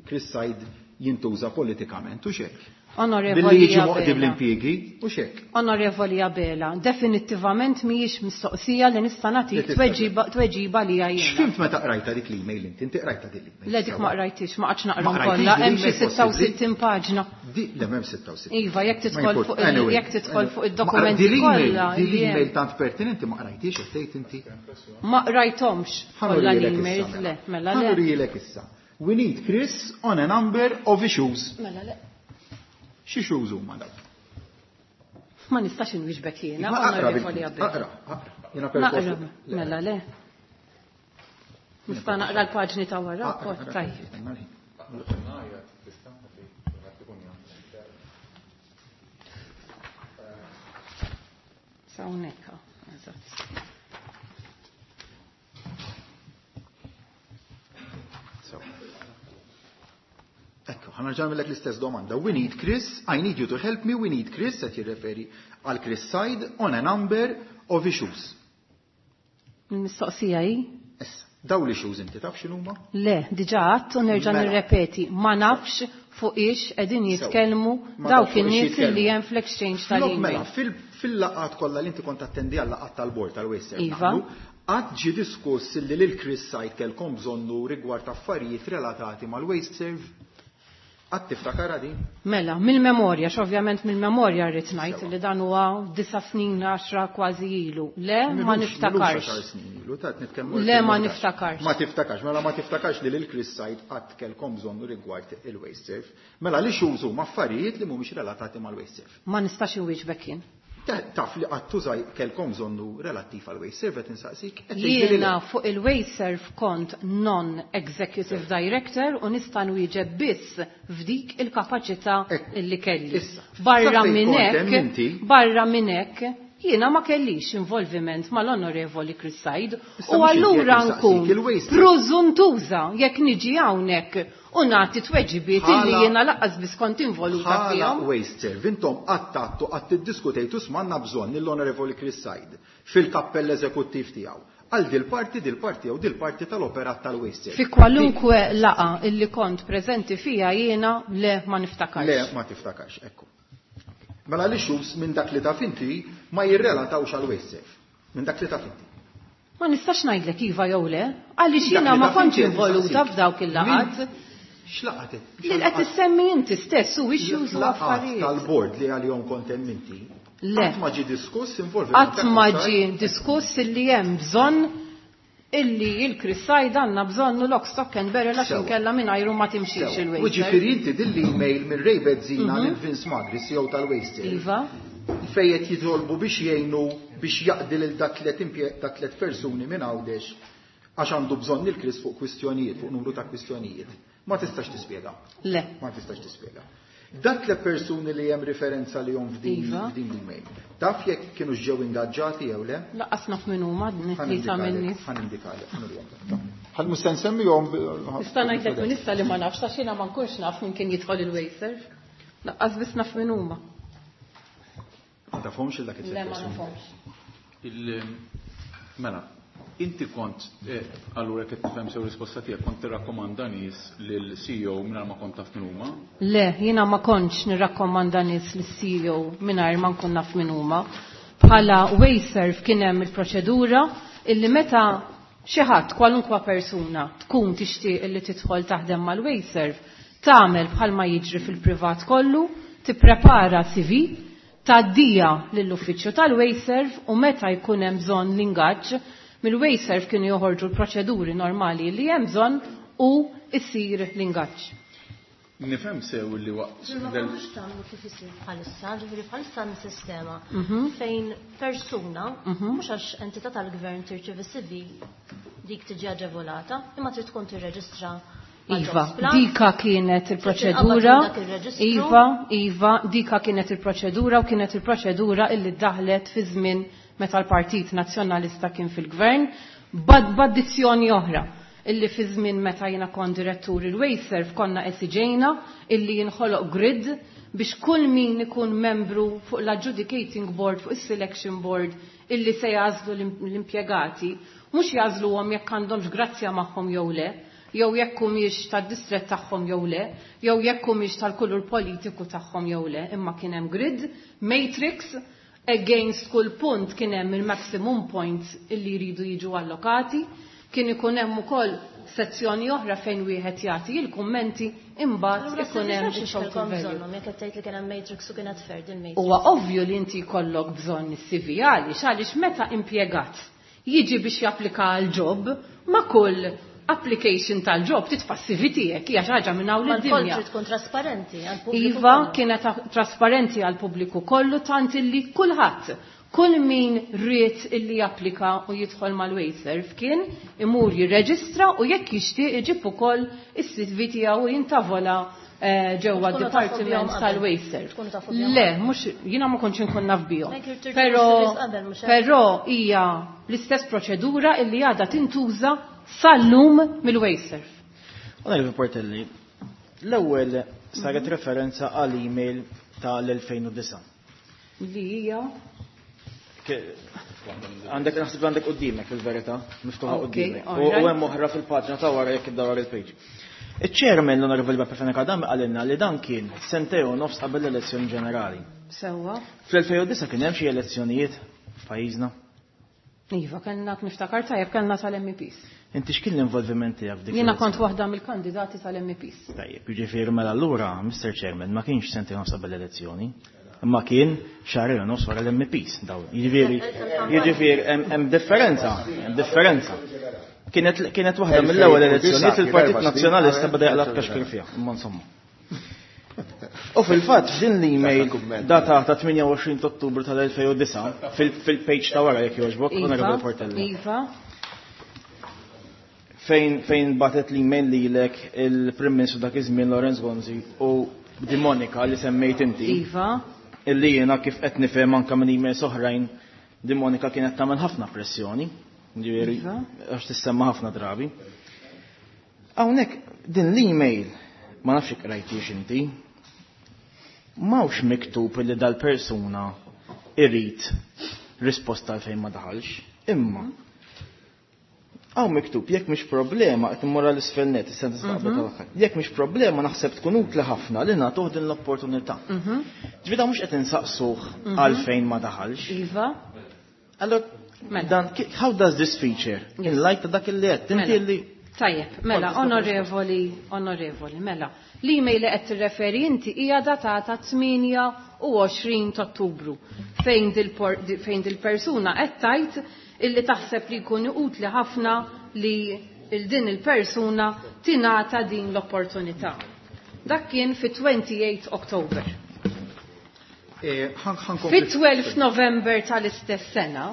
Chris Said. jintuża politikament u xek. Onorevoli Billi jiġi moqdi Abela. bl-impjiegi u xek. Onorevoli Abela, definittivament mhijiex mistoqsija li nista' Li nagħtik tista' tweġiba li jiena. X'fimt meta qrajta dik l-email inti? Inti qrajta dik l-email. Le dik ma qrajtix, ma qgħadx naqra Ma qrajtix kollha, din hemm xi l-email possibbli? 66 paġna. Di, le m'hemm 66. Iva, jekk Ma tidħol jimport- fuq il- anyway, jekk tidħol anyway. fuq Ma id-dokumenti din l-email- kollha Din li hemm. l-email tant pertinenti ma qrajtix qed tgħid inti. Ma qrajthomx kollha Ħanurijilek l-emails, issa, le, mela. mela le. Ħanurijilek issa. We need Chris on a number of issues. Mela le. Xi issues huma dawk? Ma nistax inwieġbek jiena, Ma aqra Onorevoli bil- Abela. Aqra, aqra. Jiena perswas. Naqra, mela le. Nista' naqra l-paġni ta' wara, Aqra, aqra. tajjeb. Sa hawnhekk, eżatt. So. Ekku, ħa nerġa' nagħmellek l-istess domanda. We need Chris, I need you to help me, we need Chris, qed jirreferi għal Chris Said on a number of issues. Il-mistoqsija hi? Issa, daw l-issues inti taf x'inhuma? Le, diġà għadt u nerġa' Mela. nirrepeti, ma nafx fuq ix qegħdin Sewa. jitkellmu Ma dawk tafx fuq ix in-nies jitkellmu. li hemm fl-exchange Flok mela, tal-email. fil-laqat kollha li inti kont attendi għal laqat tal-bord tal-Waster. Iva. Qatt ġie diskuss li lil Chris Said kellkom bżonnu rigward affarijiet relatati mal-Waste Serve? Qatt tiftakar din? Mela, mill-memorja, x'ovvjament mill-memorja rrid ngħid li dan huwa 9 snin, 10 kważi ilu. Le, ma Milux- milux niftakarx. għaxar snin ilu, ta' qed nitkellmu Le, ma 2011. niftakarx. Ma tiftakarx, mela ma tiftakarx li lil Chris Said qatt kellkom bżonnu rigward il-Waste Serve. Mela li xużu ma' affarijiet li mhumiex relatati mal-Waste Serve. Ma nistax inwieġbek jien. Taf li qatt tużaj kellkom bżonnu relattiv għal Waste Serve qed insaqsik. qed tgħidli li le. Jiena fuq il-Wasteserve kont non-executive director u nista' nwieġeb biss f'dik il-kapaċità Ekku. illi kelli. Issa, Barra sa fejn minn kont hemm hekk, inti? barra minn hekk, jiena ma kellix involviment mal-Onorevoli Chris Said Issa u mhux inti allura qed insaqsik, nkun il-Wasteserve. preżuntuża jekk niġi hawnhekk u nagħti tweġibiet illi Bħala- jiena laqqas biss kont involuta Bħala fihom. Waste Serve, intom għattattu għatt iddiskutejtu smanna bżonn lill-Onorevoli Chris Said fil-kappell eżekuttiv tiegħu. Għal dil-parti, dil-parti jew dil-parti tal-operat tal-Waste Serve. Fi kwalunkwe laqa illi kont preżenti fija jiena le ma niftakarx. Le, ma tiftakarx, ekku. Mela li xus minn dak li taf inti ma jirrelatawx għal Waste Serve. Minn dak li taf inti. Ma nistax ngħidlek iva jew le, għaliex Dak jiena li ma taf kontx inti qed involuta insaqsik. f'dawk il-laqat. Min- X'laqat? Li qed issemmi inti stess u issues u Laqat affarijiet. tal-bord li għalihom kont hemm inti. Le. Qatt ma ġie diskuss involviment Qatt ta' ma Chris Said. ġie diskuss illi hemm bżonn illi il-Chris Said għandna bżonnu lock stock and barrel għax Sewa. inkella mingħajru ma timxix Sewa. U il-waster. ġifieri inti din l-email minn Ray Bezzina lil Vince Magri, CEO tal-Waste Serve. Iva, Fejn qed jitolbu biex jgħinu biex jaqdi lil dak tliet da tliet persuni minn Għawdex għax għandu bżonn il Chris fuq kwistjonijiet, fuq numru ta' kwistjonijiet. Ma tistax tispjega. le. Ma tistax tispjega. Dak tliet persuni li hemm referenza li jom f'din Iva. f'din l-email. Taf jekk kienu ġew ingaġġati jew le? Laqqas naf min huma tlieta min-nies. Ħa nindikalek, ħa nurihom. Ħa mhux se nsemmihom. Nista' ngħidlek min issa li ma nafx għax jiena ma nkunx naf min kien jidħol il-waster. Laqqas biss naf min huma. Ma tafhomx il dak Le it-tliet ma persuni. nafhomx. Mela, inti kont, allura qed tifhem sew risposta tiegħek, kont tirrakkomanda nies lil-CEO mingħajr ma kont taf min huma? Le, jiena ma kontx nirrakkomanda nies lis-CEO mingħajr ma nkun naf min huma. Bħala Wasteserve kien hemm il-proċedura illi meta xi ħadd kwalunkwa persuna tkun tixtieq illi tidħol taħdem mal-Wasteserve, tagħmel bħalma jiġri fil-privat kollu, tipprepara CV, tgħaddija lill-uffiċċju tal-Wasteserve u meta jkun hemm bżonn l-ingaġġ, mill-Wasteserve kienu joħorġu l-proċeduri normali li hemm bżonn u issir l-ingaġġ. Nifhem sew li waqt Ma del- kontux tagħmlu kif isir bħalissa, ġifieri bħalissa hemm sistema fejn persuna, mhux għax entità tal-gvern tirċievi CV dik tiġi aġevolata, imma trid tkun tirreġistra għal Iva, Jobs Plus. dika kienet il-proċedura. Trid dak ir-reġistru. Iva, Iva, dika kienet il-proċedura u kienet il-proċedura illi daħlet fi żmien meta l-Partit Nazzjonalista kien fil-gvern, b'addizzjoni oħra illi fi żmien meta jiena kont direttur il-Wasteserve konna esiġejna illi jinħoloq grid biex kull min ikun membru fuq l-adjudicating board, fuq is-selection board illi se jażlu l-impjegati, mhux jażluhom jekk għandhomx grazzja magħhom jew le, jew jekk humiex tad-distrett tagħhom jew le, jew jekk humiex tal-kulur politiku tagħhom jew le, imma kien hemm grid, matrix, against kull punt kien hemm il-maximum points illi jridu jiġu allokati, kien ikun hemm ukoll sezzjoni oħra fejn wieħed jagħti il-kummenti imbagħad ikun hemm il-total value. Jekk qed tgħid li kien hemm matrix u kienet fair din matrix. Huwa ovvju li inti jkollok bżonn is-CV għaliex għaliex meta impjegat jiġi biex japplika għal job ma' kull application tal-job titfa' CV tiegħek hija xi ħaġa minn hawn lid-dinja. Ma tkun trasparenti għall-pubbliku. Iva, kienet trasparenti għall-pubbliku kollu tant illi kulħadd, kull min ried illi japplika u jidħol mal-Wasteserv kien imur jirreġistra u jekk jixtieq iġib ukoll is-CV tiegħu u jintavola ġewwa d-dipartiment tal-Wasteserv. Le, mhux jiena ma kontx inkun naf bihom. Però però hija l-istess proċedura illi għadha tintuża sal-lum mill-Wasteserv. Onorevoli Portelli, l-ewwel saret referenza għal email tal-2009. Li hija? Għandek naħseb għandek qudiemek fil-verità, miftuħa qudiemek. U hemm oħra fil-paġna ta' wara jekk iddawar il-page. Iċ-chairman l-Onorevoli Beppe Fenech Adami qalilna li dan kien sentejn u nofs qabel l-elezzjoni ġenerali. Sewwa. Fl-2009 kien hemm xi elezzjonijiet f'pajjiżna? Iva, kellna niftakar tajjeb kellna tal-MEPs. Inti x'kien l-involviment tiegħek f'dik? Jiena kont waħda mill-kandidati tal-MEPs. Tajjeb, jiġifieri mela allura, Mr. Chairman, ma kienx sentejn nofs qabel l-elezzjoni, imma kien xahrejn u nofs wara l-MEPs dawn. Jiġifieri, jiġifieri hemm differenza, hemm differenza. Kienet kienet waħda mill-ewwel elezzjonijiet li l-Partit Nazzjonalista beda jaqla' tkaxkir fiha, imma insomma. U fil-fatt f'din l-email datata 28 Ottubru tal-2009 fil-page ta' wara jekk jogħġbok, Onorevoli Portelli. Iva. Fejn fejn batet l-email lilek il-Prim Ministru dak iż-żmien Lawrence Gonzi u di Monika li semmejt inti. Iva. Illi jiena kif qed nifhem anke minn emails oħrajn di Monika kienet tagħmel ħafna pressjoni. Ġifieri għax tissemma ħafna drabi. Hawnhekk din l-email ma nafx jekk qrajtiex inti. M'hawnx miktub li dal-persuna irid risposta għalfejn ma daħalx, imma hawn miktub jekk mhix problema qed immur għal isfel net is-sentenza ta' qabel tal-aħħar. Jekk mhix problema naħseb tkun utli ħafna li nagħtuh din l-opportunità. Ġifieri mhux qed insaqsuh għalfejn ma daħalx. Iva. Allora, dan, how does this feature in light ta' dak li qed inti li Tajjeb, mela, onorevoli, onorevoli, mela. L-email li qed tirreferi inti hija datata 28 ta' Ottubru fejn dil-persuna qed tgħid illi taħseb li jkun utli ħafna li il din il-persuna tingħata din l-opportunità. Dak kien fi 28 October. Fi 12 November tal-istess sena,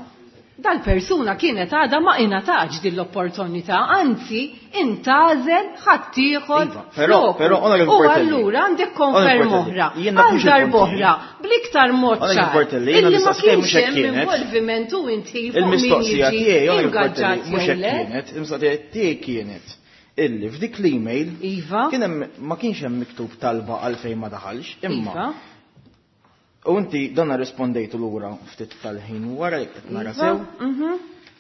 dal-persuna kienet għadha ma ingħatax din l-opportunità, anzi intgħażel ħaddieħor floku. U allura għandek konferma oħra, għal darb'oħra, bl-iktar mod ċar, illi ma kienx hemm involviment u inti fuq min jiġi ingaġġat jew le. Il-mistoqsija tiegħi kienet illi f'dik l-email Iva. kien hemm ma kienx hemm miktub talba għalfejn ma daħalx, imma U inti donna rispondejtu lura ftit tal-ħin wara jekk qed nara sew.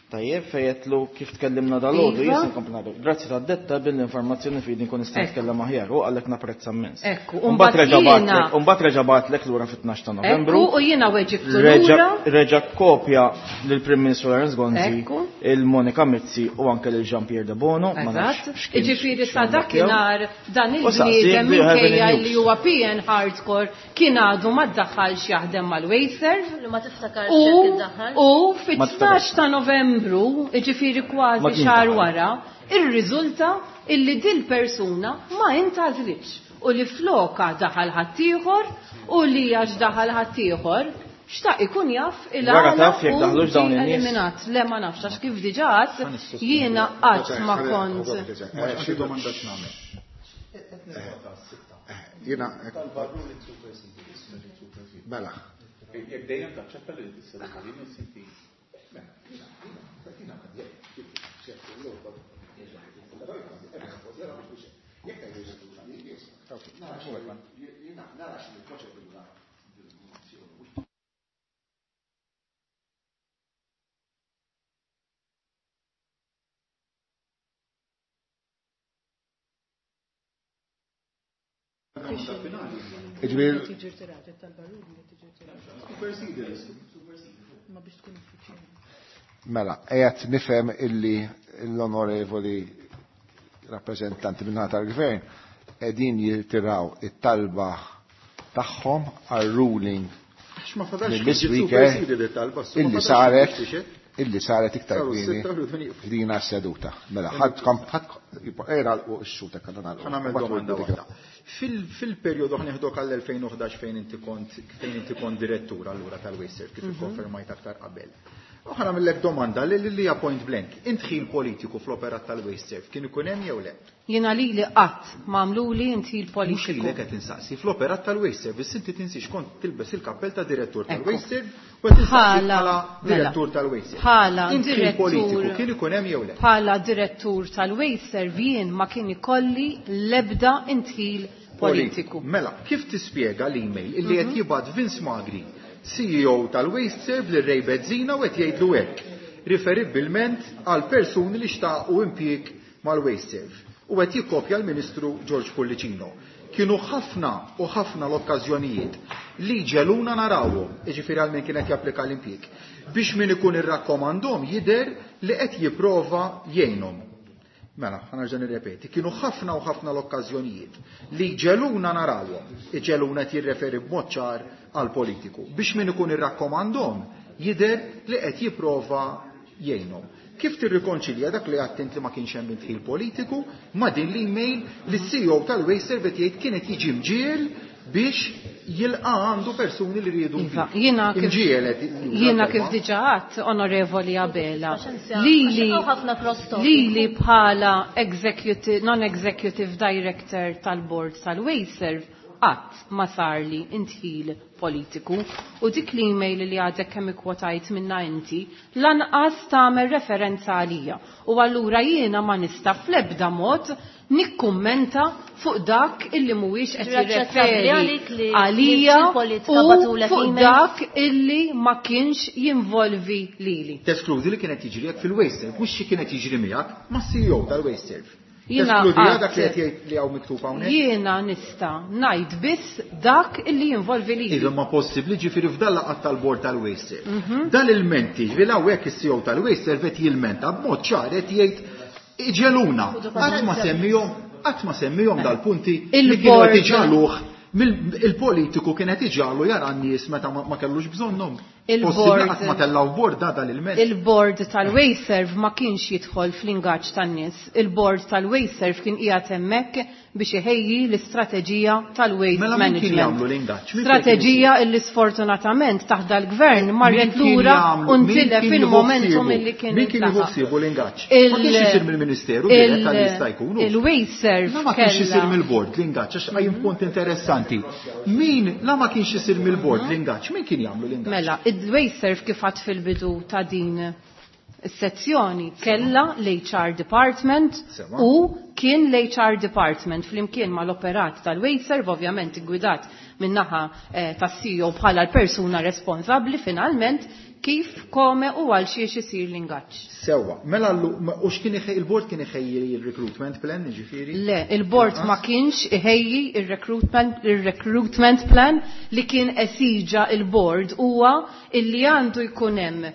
Tajjeb, fejetlu kif tkellimna dal-għodu, Iva. jien se nkompli nagħmel. Grazzi tad-detta bil-informazzjoni fidi nkun nista' Ekku. nitkellem aħjar u għalhekk napprezza immens. Ekku, u Mbagħad mbagħad reġa' jiena- bagħtlek, u mbagħad reġa' bagħtlek lura fit-12 ta' Novembru. Ekku, u jiena weġibtu Reġa' lura. reġa' kopja lill-Prim Ministru Lawrence Gonzi, Ekku. il-Monika Mizzi u anke lil Jean-Pierre De Bono. ma nafx Eżatt. x'kien Iġifieri sa x'kien dakinhar dan U saqsi, il-bniedem do you have any minkejja news? li huwa PN hardcore kien għadu ma ddaħħalx jaħdem mal-Wasteserv. Li ma tiftakarx U jekk iddaħħal. u Ma fit-12 tiftakarx. ta' Novembru, iġifieri Ma kważi kienx xahar daħal. wara, irriżulta illi dil persuna ma intgħażlitx u li floka daħal ħaddieħor u li għax daħal ħaddieħor xtaq ikun jaf Wara il-għala taf jekk u daħlux dawn ġie in-nies. eliminat. Le ma nafx għax kif diġà għadt jiena qatt ma kont. Xi domanda x'nagħmel. Jiena Mela. Jekk dejjem taċċetta li tisseduta li miss inti. Nara xi proċedura Jiġifieri Mela, qiegħed nifhem illi l-onorevoli rappreżentanti min-naħa tal-Gvern qegħdin jirtiraw it-talba tagħhom għal ruling mill-Ispeaker illi saret illi saret iktar kmieni f'dina s-seduta. Mela, ħadd ħadd era x-xuta kellna nagħlqu. Ħa nagħmel domanda waħda. Fil-perjodu ħa neħdok għall-2011 fejn inti kont fejn inti kont direttur allura tal-Wasteserv kif ikkonfermajt aktar qabel. U ħa nagħmellek domanda li li hija point blank. Indħil politiku fl-operat tal-Wasteserv kien ikun hemm jew le? Jiena lili qatt m'għamluli indħil Mhux politiku. lilek qed insaqsi fl-operat tal-Wasteserv, biss inti tinsiex kont tilbes il-kappell ta' direttur tal-Wasteserv u qed insaqsi bħala direttur tal-Wasteserv. Bħala Indħil direttur politiku kien ikun hemm jew le? Bħala direttur tal-Wasteserv jien ma kien ikolli l-ebda indħil politiku. Mela, kif tispjega l-email illi qed jibgħat Vince Magri, CEO tal-Wasteserv lil Ray Bezzina u qed jgħidlu hekk, riferibbilment għal persuni li xtaqu impjieg mal-Wasteserv u qed jikkopja l-Ministru George Pullicino. Kienu ħafna u ħafna l-okkażjonijiet li ġeluna narawhom, jiġifieri għal min kien qed japplika l-impjieg, biex min ikun irrakkomandhom jidher li qed jipprova jgħinhom. Mela, ħa nerġa' nirrepeti, kienu ħafna u ħafna l-okkażjonijiet li ġeluna narawhom, iġeluna qed jirreferi b'mod ċar għal politiku, biex min ikun irrakkomandhom jidher li qed jipprova jgħinhom. Kif tirrikonċilja dak li għedt int li ma kienx hemm indħil politiku ma' din l-email li s-CEO tal-Wasteserv qed jgħid kienet jiġi mġiel biex jilqa' għandu persuni li riedu Iva, impjieg. jiena kif Imġiel qed juża jiena l-kelma. kif diġà għedt, Onorevoli Abela, Paċenzja, lili għax hawn ħafna cross-talk. lili bħala executive, non-executive director tal-board tal-Wasteserv qatt ma sarli indħil politiku u dik l-email li għadek kemm ikkwotajt minna inti lanqas tagħmel referenza għalija u allura jiena ma nista' fl-ebda mod nikkummenta fuq dak illi mhuwiex qed Ġifieri aċċettabbli jirreferi għalik li għalija il-politika u bagħtulek fuq emails? dak illi ma kienx jinvolvi lili. Teskludi li kienet jiġri hekk fil-Wasteserv, mhux xi kienet jiġri miegħek ma' CEO tal-Wasteserv. Jiena Teskludi dak li għad- qed jgħid li hawn miktub hawnhekk? Jiena nista' ngħid biss dak illi jinvolvi lili. Iva ma possibbli ġifieri f'dan laqgħat tal-bord tal-Wasteserv. Dan il-menti, ġifieri hawnhekk is-CEO tal-Wasteserv qed jilmenta b'mod ċar qed jgħid iġeluna. Qatt ma semmihom, qatt ma semmihom dal-punti li kienu qed Il-board- iġaluh il-politiku kien qed iġalu jara n-nies meta ma kellux bżonnhom. Il-board- Possibbli qatt ma tellgħu bord da dal-ilment. Il-board tal-Wasteserv ma kienx jidħol fl-ingaġġ tan-nies. Il-board tal-Wasteserv kien qiegħed hemmhekk biex iħejji l-istrateġija tal-waste Mela min kien management. jagħmlu l-ingaġġ? Min kien Strateġija illi sfortunatament taħt dal-gvern marret Min kien lura jagħmlu- u min ntilef kien jieħu il-momentum ħsiebu? illi kien Min kien jieħu intlaħaq. ħsiebu l-ingaġġ? Ma kienx isir mill-Ministeru dirett għal jista' jkun. Il-Wasteserv La ma kienx isir kellha mill-bord l-ingaġġ, għax qajjem punt interessanti. Min la ma kienx isir mill-bord l-ingaġġ, min kien jagħmlu l-ingaġġ? Mela, il-Wasteserv kif għad fil-bidu ta' din is-sezzjoni kella l-HR department Sewa. u kien l-HR department flimkien mal-operat tal-Wasteserv, ovvjament gwidat min-naħa tas-CEO bħala l-persuna responsabbli finalment kif, kome u għal xiex isir l-ingaġġ. Sewa, mela u x'kien il-bord kien iħejji il-recruitment plan, jiġifieri? Le, il-board ma kienx iħejji il-recruitment plan li kien esiġa il-board huwa illi għandu jkun hemm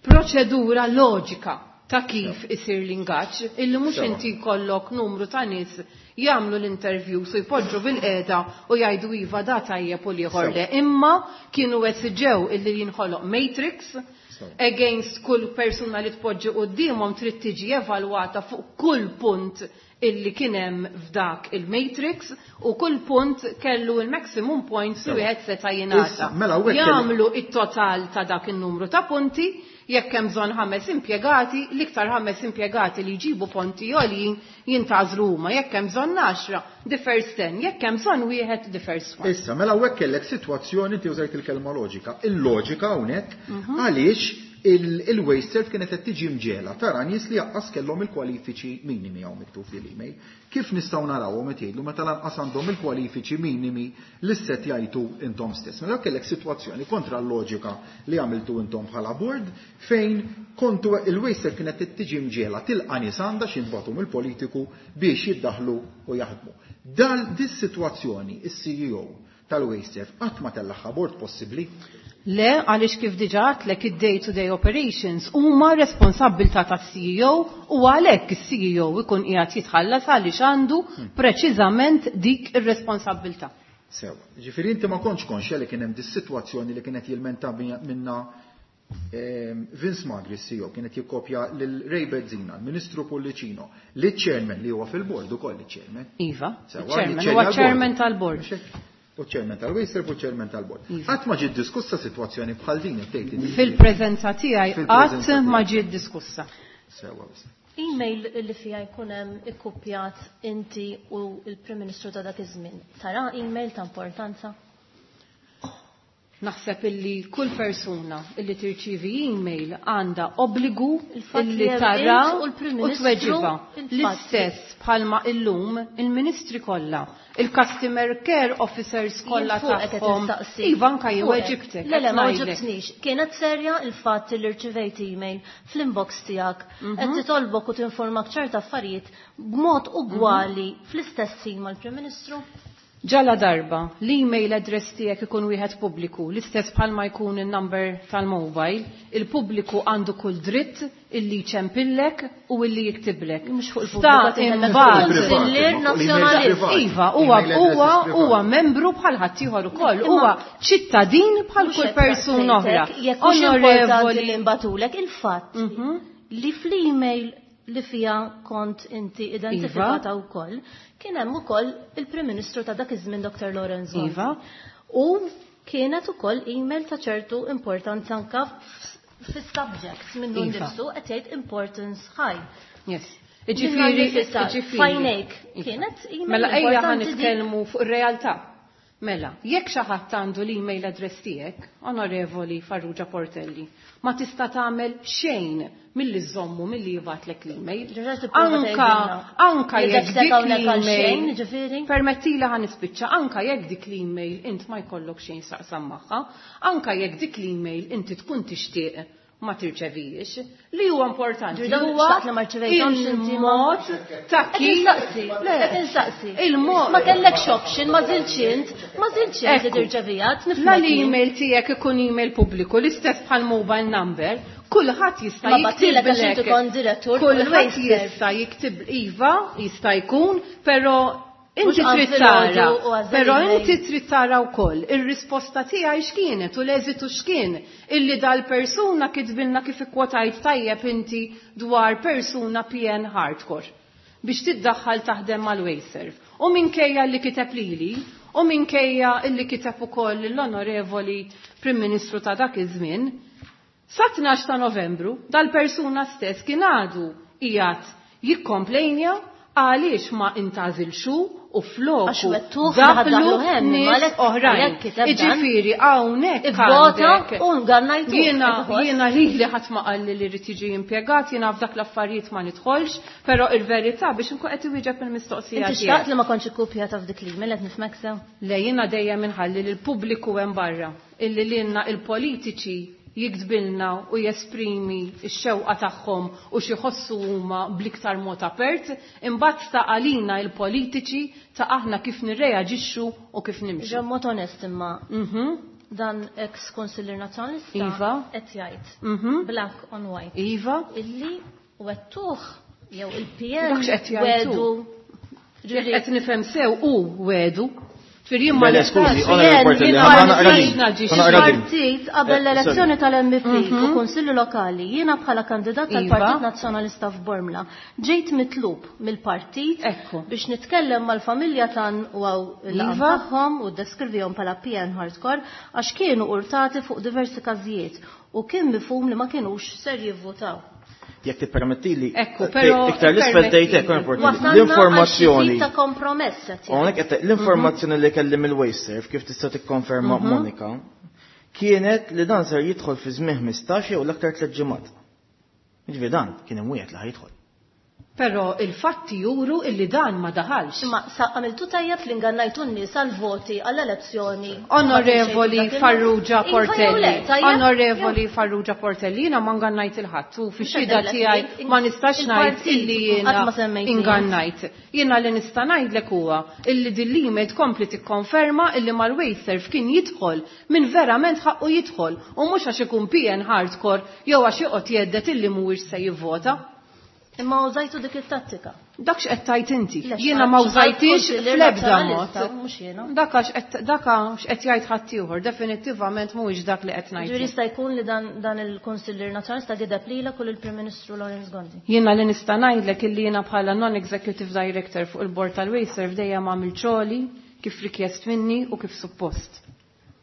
proċedura loġika ta' kif isir l-ingaġġ, illi mhux Sewa. inti jkollok numru ta' nies jagħmlu l-interview su jpoġġu bil-qiegħda u jgħidu iva da tajjeb u l-ieħor Sewa. le. Imma kienu esiġew illi jinħoloq matrix Sewa. against kull persuna li tpoġġi quddiemhom trid tiġi evalwata fuq kull punt illi kien hemm f'dak il-matrix u kull punt kellu il-maximum points li Sewa. wieħed seta' jingħata. Issa, mela hawnhekk kelli- Jagħmlu it-total ta' dak in-numru ta' punti, jekk hemm bżonn 5 impjegati, l-iktar 5 impjegati li jġibu punti għoljin jintgħażlu huma, jekk hemm bżonn 10, the first 10, jekk hemm bżonn wieħed, the first one. Issa, mela hawnhekk kellek sitwazzjoni inti użajt il-kelma loġika. Il-loġika hawnhekk għaliex Il-WasteServ kienet qed tiġi mġiegħla tara nies li lanqas kellhom il-kwalifiċi minimi hawn miktub fil-email. Kif nistgħu narawhom qed jgħidu meta lanqas għandhom il-kwalifiċi minimi li set jgħidu intom stess. Mela kellek sitwazzjoni kontra l-loġika li għamiltu intom bħala board fejn kontu il-WasteServ kienet qed tiġi mġiegħla tilqa' nies għandha x'inbagħtu mill-politiku biex jiddaħlu u jaħdmu. Dal dis-sitwazzjoni is-CEO tal-WasteServ qatt ma tellagħha board possibbli? Le, għaliex kif diġà għedtlek id-day-to-day operations huma responsabbiltà tas-CEO u għalhekk is-CEO ikun qiegħed jitħallas għaliex għandu preċiżament dik ir-responsabbiltà. Sewa. Ġifieri inti ma kontx konxja li kien hemm dis-sitwazzjoni li kienet jilmenta minna Vince Magri CEO kienet jikkopja lil Ray Bezzina, l-Ministru Pullicino, li chairman li huwa fil-board ukoll il-chairman. Iva, chairman, huwa chairman tal-board. U chairman tal-WasteServ u chairman tal-board. Qatt ma ġiet diskussa sitwazzjoni bħal din tgħid. Fil-preżenza tiegħi qatt ma ġiet diskussa. Sewa biss. Email li fija jkun hemm ikkupjat inti u l-Prim Ministru ta' dak iż-żmien. Tara email ta' importanza? Naħseb illi kull persuna illi tirċivi email għandha obbligu illi tara u tweġiba. L-istess bħalma illum il-ministri kollha, il-customer care officers kollha tagħhom. Iva anka jew weġibtek. Le, le, ma weġibtnix. Kienet serja il-fatt li rċivejt email fl-inbox tiegħek qed titolbok u tinformak ċerta affarijiet b'mod ugwali fl-istess ħin mal-Prim Ministru? Ġala darba, l-email address tiegħek ikun wieħed pubbliku, l-istess bħalma jkun il-number tal-mobile, il-pubbliku għandu kull dritt illi jċempillek u illi jiktiblek. Mhux fuq il-pubbliku. Iva, huwa membru bħal ħaddieħor ukoll, huwa ċittadin bħal kull persuna oħra. Jekk hux importanti li nbatulek il-fatt li fl-email li fija kont inti identifikata wkoll, kien hemm ukoll il-Prim Ministru ta' dak iż-żmien Dr. Lawrence Gonzi. Iva. U kienet ukoll email ta' ċertu importanza anka fis-subject minnu nnifsu qed jgħid importance high. Yes. Ġifieri, fajnejk. Kienet email. Mela ejja ħa nitkellmu fuq ir-realtà. Mela, jekk xi ħadd għandu l-email address tiegħek, Onorevoli Farrugia Portelli, ma tista' tagħmel xejn milli żommu milli jibgħatlek l-email. Anka jekk dik l-email. Permettili ħa nispiċċa, anka jekk dik l-email int ma jkollok xejn x'taqsam magħha, anka jekk dik l-email inti tkun tixtieq ma tirċevijiex, li huwa importanti. Huwa il-mod ta' kif. Insaqsi. Il-mod. Ma kellekx option, ma żilx int, ma żilx int li tirċevija. La l-email tiegħek ikun email pubbliku, l-istess bħal mobile number, kulħadd jista' jiktib. Kulħadd jista' jiktib iva, jista' jkun, però inti trid tara, però inti trid tara wkoll ir-risposta tiegħi x'kienet u l-eżitu x'kien illi dal-persuna kitbilna kif ikkwotajt tajjeb inti dwar persuna PN hardcore biex tiddaħħal taħdem mal-WasteServ. U minkejja li kiteb lili, u minkejja illi kiteb ukoll l-onorevoli Prim Ministru ta' dak iż-żmien, sa 12 ta' Novembru dal-persuna stess kien għadu qiegħed jikkomplejnja għaliex ma intgħażilx u floku daħlu nies oħrajn. Iġifieri hawnhekk għandek. Jiena lili ħadd ma qalli li rrid jiġi impjegat, jiena f'dak l-affarijiet ma nidħolx, però il-verità biex inkun qed iwieġeb il-mistoqsija. Inti xtaqt li ma kontx ikkupjata f'dik l-email qed nifhmek sew? Le, jiena dejjem inħalli lil pubbliku hemm barra illi lilna il-politiċi jiktbilna u jesprimi x-xewqa tagħhom u xi jħossu huma bl-iktar mod apert, imbagħad ta' għalina il-politiċi ta' aħna kif nirreaġixxu u kif nimxu. Ġa mod onest imma. Dan ex konsillier nazzjonalista Iva. qed jgħid black on white. Iva. Illi wettuh jew il-PN Dak x'qed jgħidu. wedu. Jekk qed nifhem sew u wedu. Firjien ma Le, le, skużi, Onorevoli Portelli, ħa naqra din. Ħa naqra din. Partit qabel l-elezzjoni tal-MEP u Kunsilli Lokali, jiena bħala kandidat tal-Partit Nazzjonalista f'Bormla, ġejt mitlub mill-partit biex nitkellem mal-familja tan u għaw il-laqgħa tagħhom u ddeskrivihom bħala PN hardcore għax kienu urtati fuq diversi każijiet u kien mifhum li ma kienux ser jivvutaw. Jekk tippermettili, Ekku, però iktar l-isfel tgħid hekk importanti. Wasalna għal xi L-informazzjoni. tip ta' kompromess qed jgħid. Hawnhekk qed l-informazzjoni li kelli mill-WasteServ kif tista' tikkonferma Monika. kienet li dan ser jidħol fi żmien 15 jew l-aktar 3 ġimgħat. Jiġifieri dan kien imwiegħed li ħa jidħol. Però il-fatti juru illi dan ma daħalx. Imma sa għamiltu tajjeb li ngannajtu n-nies għall-voti għall-elezzjoni. Onorevoli Farrugia Iva jew Portelli, le, tajjeb? Onorevoli Farrugia Portelli, jiena ma ngannajt il-ħadd u fix-xhieda Mhux tiegħi ma nistax ngħid il-partit, illi jiena qatt ma semmejt ingannajt. Jiena li nista' ngħidlek huwa illi din l-email tkompli tikkonferma illi mal-Wasteserv kien jidħol min verament ħaqqu jidħol u mhux għax ikun PN hardcore jew għax joqgħod jgħeddet illi mhuwiex se jivvota. Imma użajtu dik it-tattika. Dak x'qed tgħid inti. Le, Jiena ma x'qal użajtix kunsillier fl-ebda nazzjonalista, mod. mhux jiena. Dak x'qed jgħid ħaddieħor, definittivament mhuwiex dak li qed ngħid. Ġifieri jista' jkun li dan il-Kunsillier Nazzjonalista gideb lilek u lill-Prim Ministru Lawrence Gonzi. Jiena li nista' ngħidlek illi jiena bħala non-executive director fuq il-bord tal-Wasteserv dejjem għamil xogħli kif rikjest minni u kif suppost.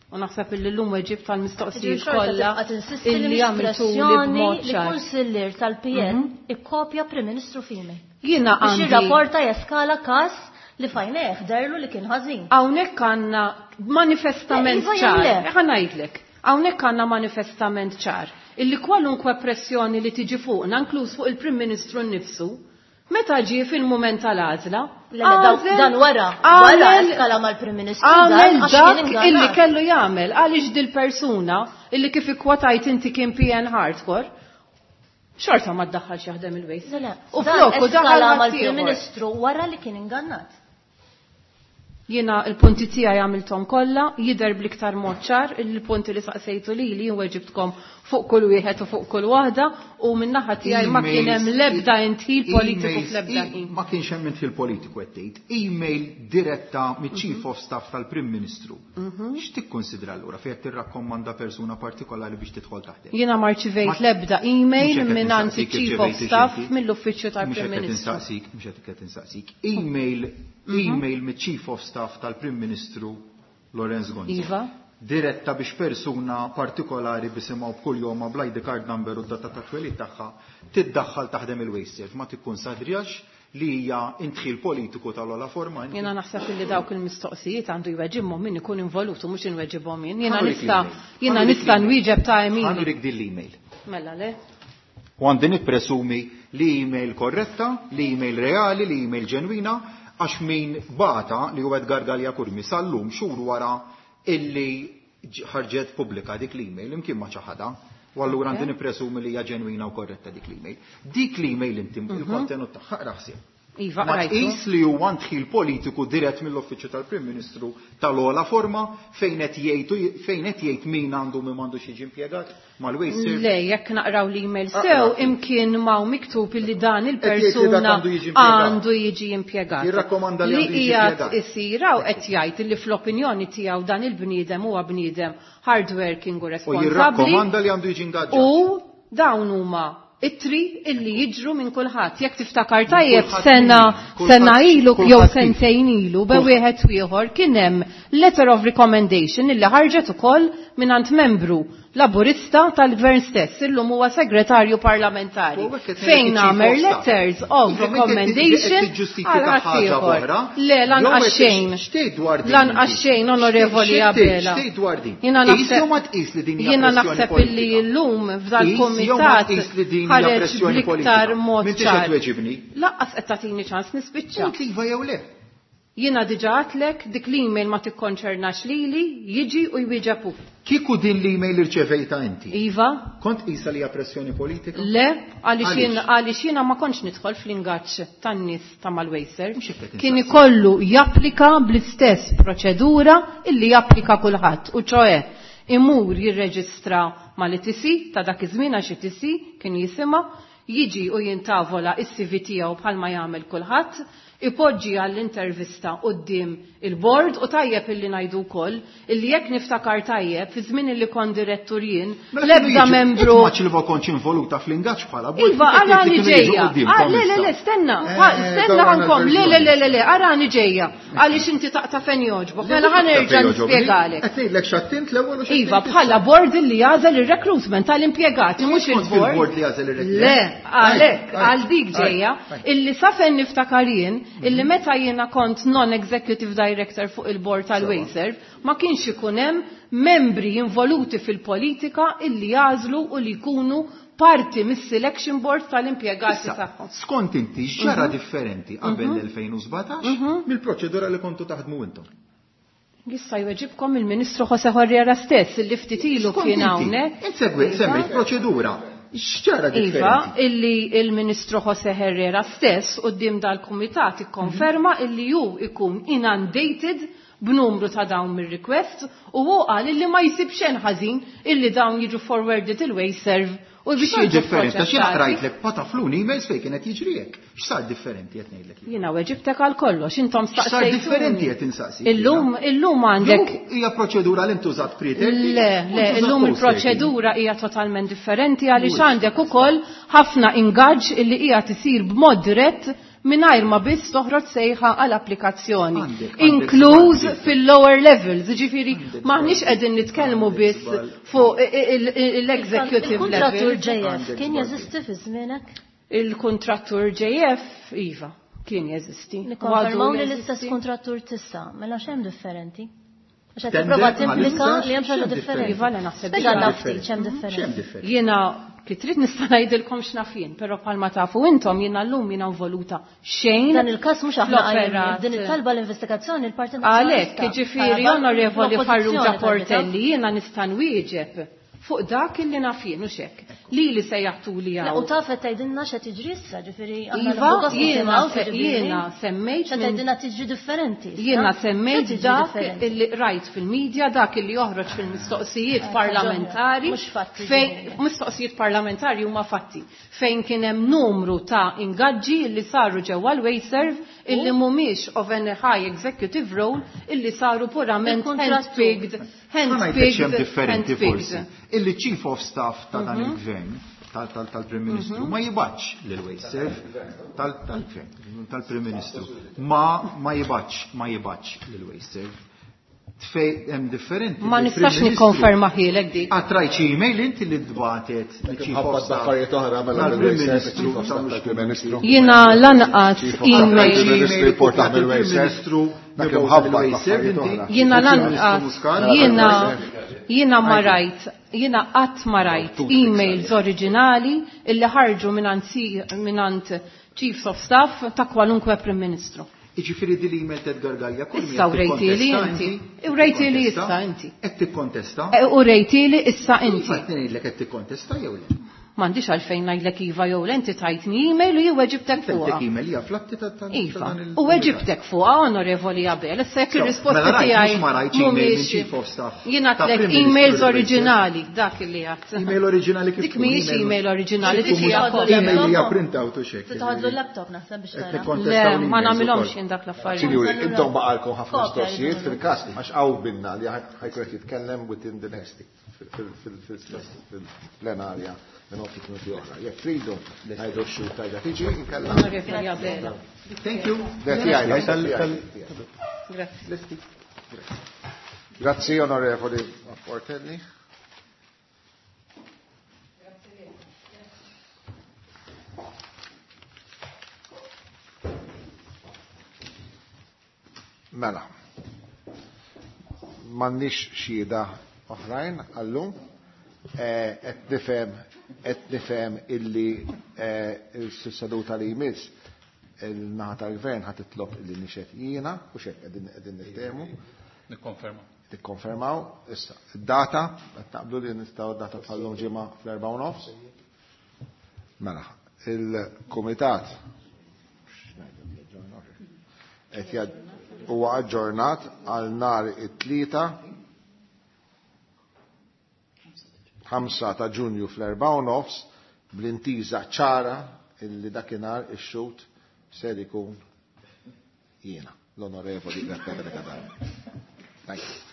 U naħseb illi llum weġib tal-mistoqsijiet Ġifieri xorta kollha tibqa' tinsisti li illi mhix għamiltuli pressjoni b'mod li ċar. kunsillier tal-PN ikkopja Prim Ministru f'email. Jiena Biex għandi jirrapporta jeskala każ li fajneh derlu li kien ħażin. Hawnhekk għandna manifestament Le, iva jew ċar. le? Ħa ngħidlek. Hawnhekk għandna manifestament ċar illi kwalunkwe pressjoni li tiġi fuqna, inkluż fuq il-Prim Ministru nnifsu, meta ġie fil-mument tal-għażla, Le, le, dan wara, wara eskala mal-Prim Ministru dan għamel għax kien dak ingannat. illi kellu jagħmel għaliex dil-persuna illi kif ikkwotajt inti kien PN hardcore, xorta ma ddaħħalx jaħdem il-Waste. Le, le, U dan floku daħal eskala mal-Prim ħaddieħor. Ministru wara li kien ingannat. Jiena il-punti tiegħi għamilthom kollha, jidher bl-iktar mod ċar il-punti li saqsejtu lili jien weġibtkom fuq kull wieħed u fuq kull waħda u min-naħa tiegħi ma kien hemm l-ebda indħil politiku Emails, fl-ebda ħin. Ma kienx hemm indħil politiku qed tgħid. Email diretta miċ-Chief of Staff tal-Prim Ministru. X'tikkonsidra allura fejn qed tirrakkomanda persuna partikolari biex tidħol taħdem? Jiena ma rċivejt l-ebda email Mhux hekk qed mingħand insaqsik iċ-Chief of irċevejt Staff inti. mill-Uffiċċju Mhux tal-Prim hekk qed Ministru. insaqsik, mhux hekk qed insaqsik. Email miċ-Chief of Staff tal-Prim Ministru Lawrence Gonzi. Iva. Diretta biex persuna partikolari bisimgħu b'kull jom bl-ID card number u d-data ta' twelid tagħha tiddaħħal taħdem il-Wasteserv, ma tikkunsadrijax li hija indħil politiku tal-ogħla forma inti. Jiena naħseb illi dawk il-mistoqsijiet għandu jweġibhom min ikun involut u mhux inweġibhom jien. Jiena Ħanurik l-email. Ħanurik nista' l-email. nwieġeb ta' Emili. Ħanurik din l-email. Mela le. U għandi nippresumi li email korretta, li email reali, li email ġenwina, għax min bata li huwa Edgar Galea Curmi sal-lum xhur wara illi ħarġet pubblika dik l-email imkien ma ċaħada. U allura għandi nippresumi li hija ġenwina u korretta dik l-email. Dik l-email inti il-kontenut tagħha aqra ħsieb. Iva, Ma qrajtu. tqis li huwa ndħil politiku dirett mill-Uffiċċju tal-Prim Ministru tal-ogħla forma fejn qed jgħidu fejn qed jgħid min għandu min m'għandux jiġi impjegat mal-Wasteserv. Le, jekk naqraw l-email Aqra sew, ftit. imkien ma' miktub illi dan Qed jgħid li dak il-persuna għandu jiġi impjegat. għandu jiġi impjegat. Jirrakkomanda li Li għandu jiġi qiegħed impjegat. isir hawn qed jgħid illi fl-opinjoni tiegħu dan il-bniedem huwa bniedem hardworking u U responsabbli. jirrakkomanda li għandu jiġi ingaġġat. U dawn huma ittri illi jiġru minn kulħadd. Jekk tiftakar tajjeb Kulħadd min? Kulħadd sena ilu kulħadd jew kif? sentejn ilu be Kulħadd. wieħed u ieħor kien hemm letter of recommendation illi ħarġet ukoll mingħand membru Laburista tal-Gvern stess, illum huwa segretarju parlamentari. U hekk qed ngħidlek Fejn iċ-chief għamel of staff. letters of Iva, m'inti qed recommendation tiġġustifika għal ħaġa ħaddieħor. oħra. Le, lanqas Jew qed xejn. x'tgħid dwar din Lanqas inti? xejn, Onorevoli Abela. X'tgħid dwar din? Jiena Tqis naħseb jew ma tqis li din hija Jiena pressjoni naħseb illi politika? llum f'dal Tqis jew ma kumitat tqis li din hija ħareġ pressjoni bl-iktar politika? mod M'intix qed ċar. tweġibni. Laqqas qed tagħtini ċans nispiċċa. Int iva jew le? Jiena diġà għadtlek dik l-email ma tikkonċernax lili, jiġi u jwieġeb hu. Kieku din l-email irċevejta inti? Iva? Kont qisha li hija pressjoni politika? Le, għaliex Għaliex? għaliex jiena ma kontx nidħol fl-ingaġġ tan-nies ta' mal-Wasteserv. Mhux hekk qed Kien insaqsi. ikollu japplika bl-istess proċedura illi japplika kulħadd, u ċoe imur jirreġistra mal-ITC ta' dak iż-żmien għax ITC kien jisimha, jiġi u jintavola is-CV tiegħu bħalma jagħmel kulħadd, ipoġġi għall-intervista quddiem il-bord u tajjeb illi ngħidu wkoll illi jekk niftakar tajjeb fi żmien illi kont direttur jien Mela kienu l-ebda jiġu- membru Int ma ċilva kontx involuta fl-ingaġġ bħala bord. Iva, kif qed arani jgħid li kienu jiġu ġejja. quddiemkom Ah, le, le, le, issa? stenna, stenna dawn ħankom, le, le, le, le, le, arani ġejja. Għaliex inti taqta' fejn jogħġbok. Le, Mela mhux taqta' ħanerġa' fejn jogħġobni. nispjegalek. Qed ngħidlek x'attint l-ewwel u x'attint Iva, issa. bħala board li jagħżel ir-recruitment tal-impjegati, mhux Kont il-board. fil-board li jagħżel ir-recruitment. Le, Għalhekk, għal dik ġejja, illi sa fejn niftakar jien, illi meta jiena kont non-executive director fuq il-board tal-Wasteserv, ma kienx ikun hemm membri involuti fil-politika illi jagħżlu u li jkunu parti mis-selection board tal-impjegati tagħhom. Skont inti x'ġara differenti qabel l-2017 mill-proċedura li kontu taħdmu intom? Jista' jweġibkom il-Ministru Jose Herrera stess illi ftit ilu kien hawnhekk. Insegwi, semmejt proċedura. X'ġara Iva, differenti? illi il-Ministru Jose Herrera stess quddiem dal-Kumitat ikkonferma illi hu ikun inundated b'numru ta' dawn mir-requests u hu qal illi ma jsib xejn ħażin illi dawn jiġu forwarded il-Wasteserv u biex X'sar jiġu differenti? Għax jiena proċessati. qrajtlek pataflun emails fejn kienet jiġri hekk. X'sar differenti qed ngħidlek jien? Jiena weġibtek għal kollox, intom X'sar staqsejtuni. differenti qed insaqsik? Illum, illum għandek Jew hija proċedura li ntużat pre-30? Le, le, illum il-proċedura hija totalment differenti għaliex għandek ukoll ħafna ingaġġ illi hija tisir b'mod dirett mingħajr ma biss toħroġ sejħa għal applikazzjoni. Għandek- għandek Inkluż żball. fil-lower levels, jiġifieri Għandek m'aħniex żball. qegħdin nitkellmu Għandek biss żball. fuq l-executive Il-kontrattur level. JF Għandek kien żball. jeżisti fi żmienek? Il-kontrattur JF, iva, kien jeżisti. Nikkonfermaw Għadu li l-istess jeżisti. kontrattur tissa, mela x'hemm differenti? Għax qed Tender tipprova ma timplika l-istess, li hemm xi ħaġa x'hemm differenti. Iva, le naħseb Spjega li ftit x'hemm X'hemm differenti. differenti? Jiena kif trid nista' ngħidilkom x'naf jien, però bħalma tafu intom jiena llum jiena involuta xejn. Dan il-każ mhux aħna fl-operat. qajjimnieh, din it-talba l-investigazzjoni l-Partit Għalhekk, Nazzjonalista. jiġifieri Talba Onorevoli l-Oppożizzjoni Farrugia talbitha. Portelli, jiena nista' nwieġeb fuq dak illi naf jien u xek. Li li sejjaħtu li Le, U hawn. taf qed tgħidilna x'qed jiġri issa, ġifieri aħna Iva, nieħdu gost jiena nisimgħu, se- ġifieri, jiena semmejt x'qed minn- tgħidilna tiġri differenti. issa. Jiena X'qed semmejt tiġri dak differenti? illi rajt fil-medja, dak illi joħroġ fil-mistoqsijiet Eh, parlamentari. mhux fatti fejn ġifieri. mistoqsijiet parlamentari huma fatti fejn kien hemm numru ta' ingaġġi li saru ġewwa l-Wasteserv illi mhumiex of an high executive role illi saru purament Il-kontrattur. handpicked, Ma ngħidlek x'hemm handpicked, differenti forsi. handpicked. Illi chief of staff ta' dan il-gvern tal-Prim Ministru ma jibgħatx lil Wasteserv tal-gvern tal-Prim Ministru ma jibgħatx ma jibgħatx lil Wasteserv. Tfej hemm differenti. Ma li l-Prim nistax Ministru- nikkonferma ħielek dik. Għad rajt xi email inti li tbatet li chief of Ħabbat staff affarijiet oħra mela tal-Prim mill-Wasteserv, Ministru Chief of Staff tal-Prim Ministru. Jiena lanqas Chief of Staff email. tal-Prim Ministru jipportaħ mill-Wasteserv. Dak imħabbat affarijiet oħra. Jiena lanqas, jiena jiena ma rajt, jiena qatt ma rajt emails oriġinali illi ħarġu mingħand Chiefs of Staff ta' kwalunkwe Prim Ministru. Iġifieri din l-email t'Edgar Galea kull Issa urejtili inti. Urejtili issa inti. Qed tikkontesta? U rejtili issa inti. Iva qed ngħidlek qed tikkontesta jew le? M'għandix għalfejn ngħidlek iva jew le inti tajtni email u jien weġibtek Intek fuqha. email hija flatti ta' ta' Iva, dan il- u weġibtek fuqha onorevoli Abel, issa jekk So, ir-risposti mela rajt, tiegħi mhux ma rajtx email minn mhumiex- Chief of Staff Jiena ta' tlek Prim Ministru emails lil Wasteserv. oriġinali, dak li għadt. Email oriġinali kif Dik tkun, mhijiex email oriġinali, dik Tkun hija mhux- kopja. Email hija printout u xek. Titħadlu l-laptop naħseb biex Qed tara. Le, nikkontestaw ma l-emails nagħmilhomx ukoll. jien dak l-affarijiet. Sinjuri, intom baqalkom ħafna Kopja mistoqsijiet jridu. fil-każ għax hawn binna li ħajkun qed jitkellem within the next fil-plenarja minn ftit minuti oħra. Jekk tridu ngħidu x-xhur tajja tiġi inkella. Onorevoli Abela. Thank you. Le, tiegħi, tiegħi. Grazie. Grazzi onorevoli Portelli. Mela, m'għandniex xhieda oħrajn għallum, qed nifhem qed nifhem illi s-seduta li jmiss il-naħa tal-gvern ħa titlob illi nixhed jiena u xek qegħdin qegħdin niftehmu. Nikkonferma. Tikkonfermaw issa id-data qed naqblu li nistgħu data bħallum ġimgħa fl-4:30. Mela, il-kumitat qed huwa aġġornat għal nhar it-tlieta 5 ta' Ġunju fl-4:30 bl-intiża ċara illi dakinhar ix-xhud ser ikun jiena, l-Onorevoli Beppe Fenech Adami. Thank you.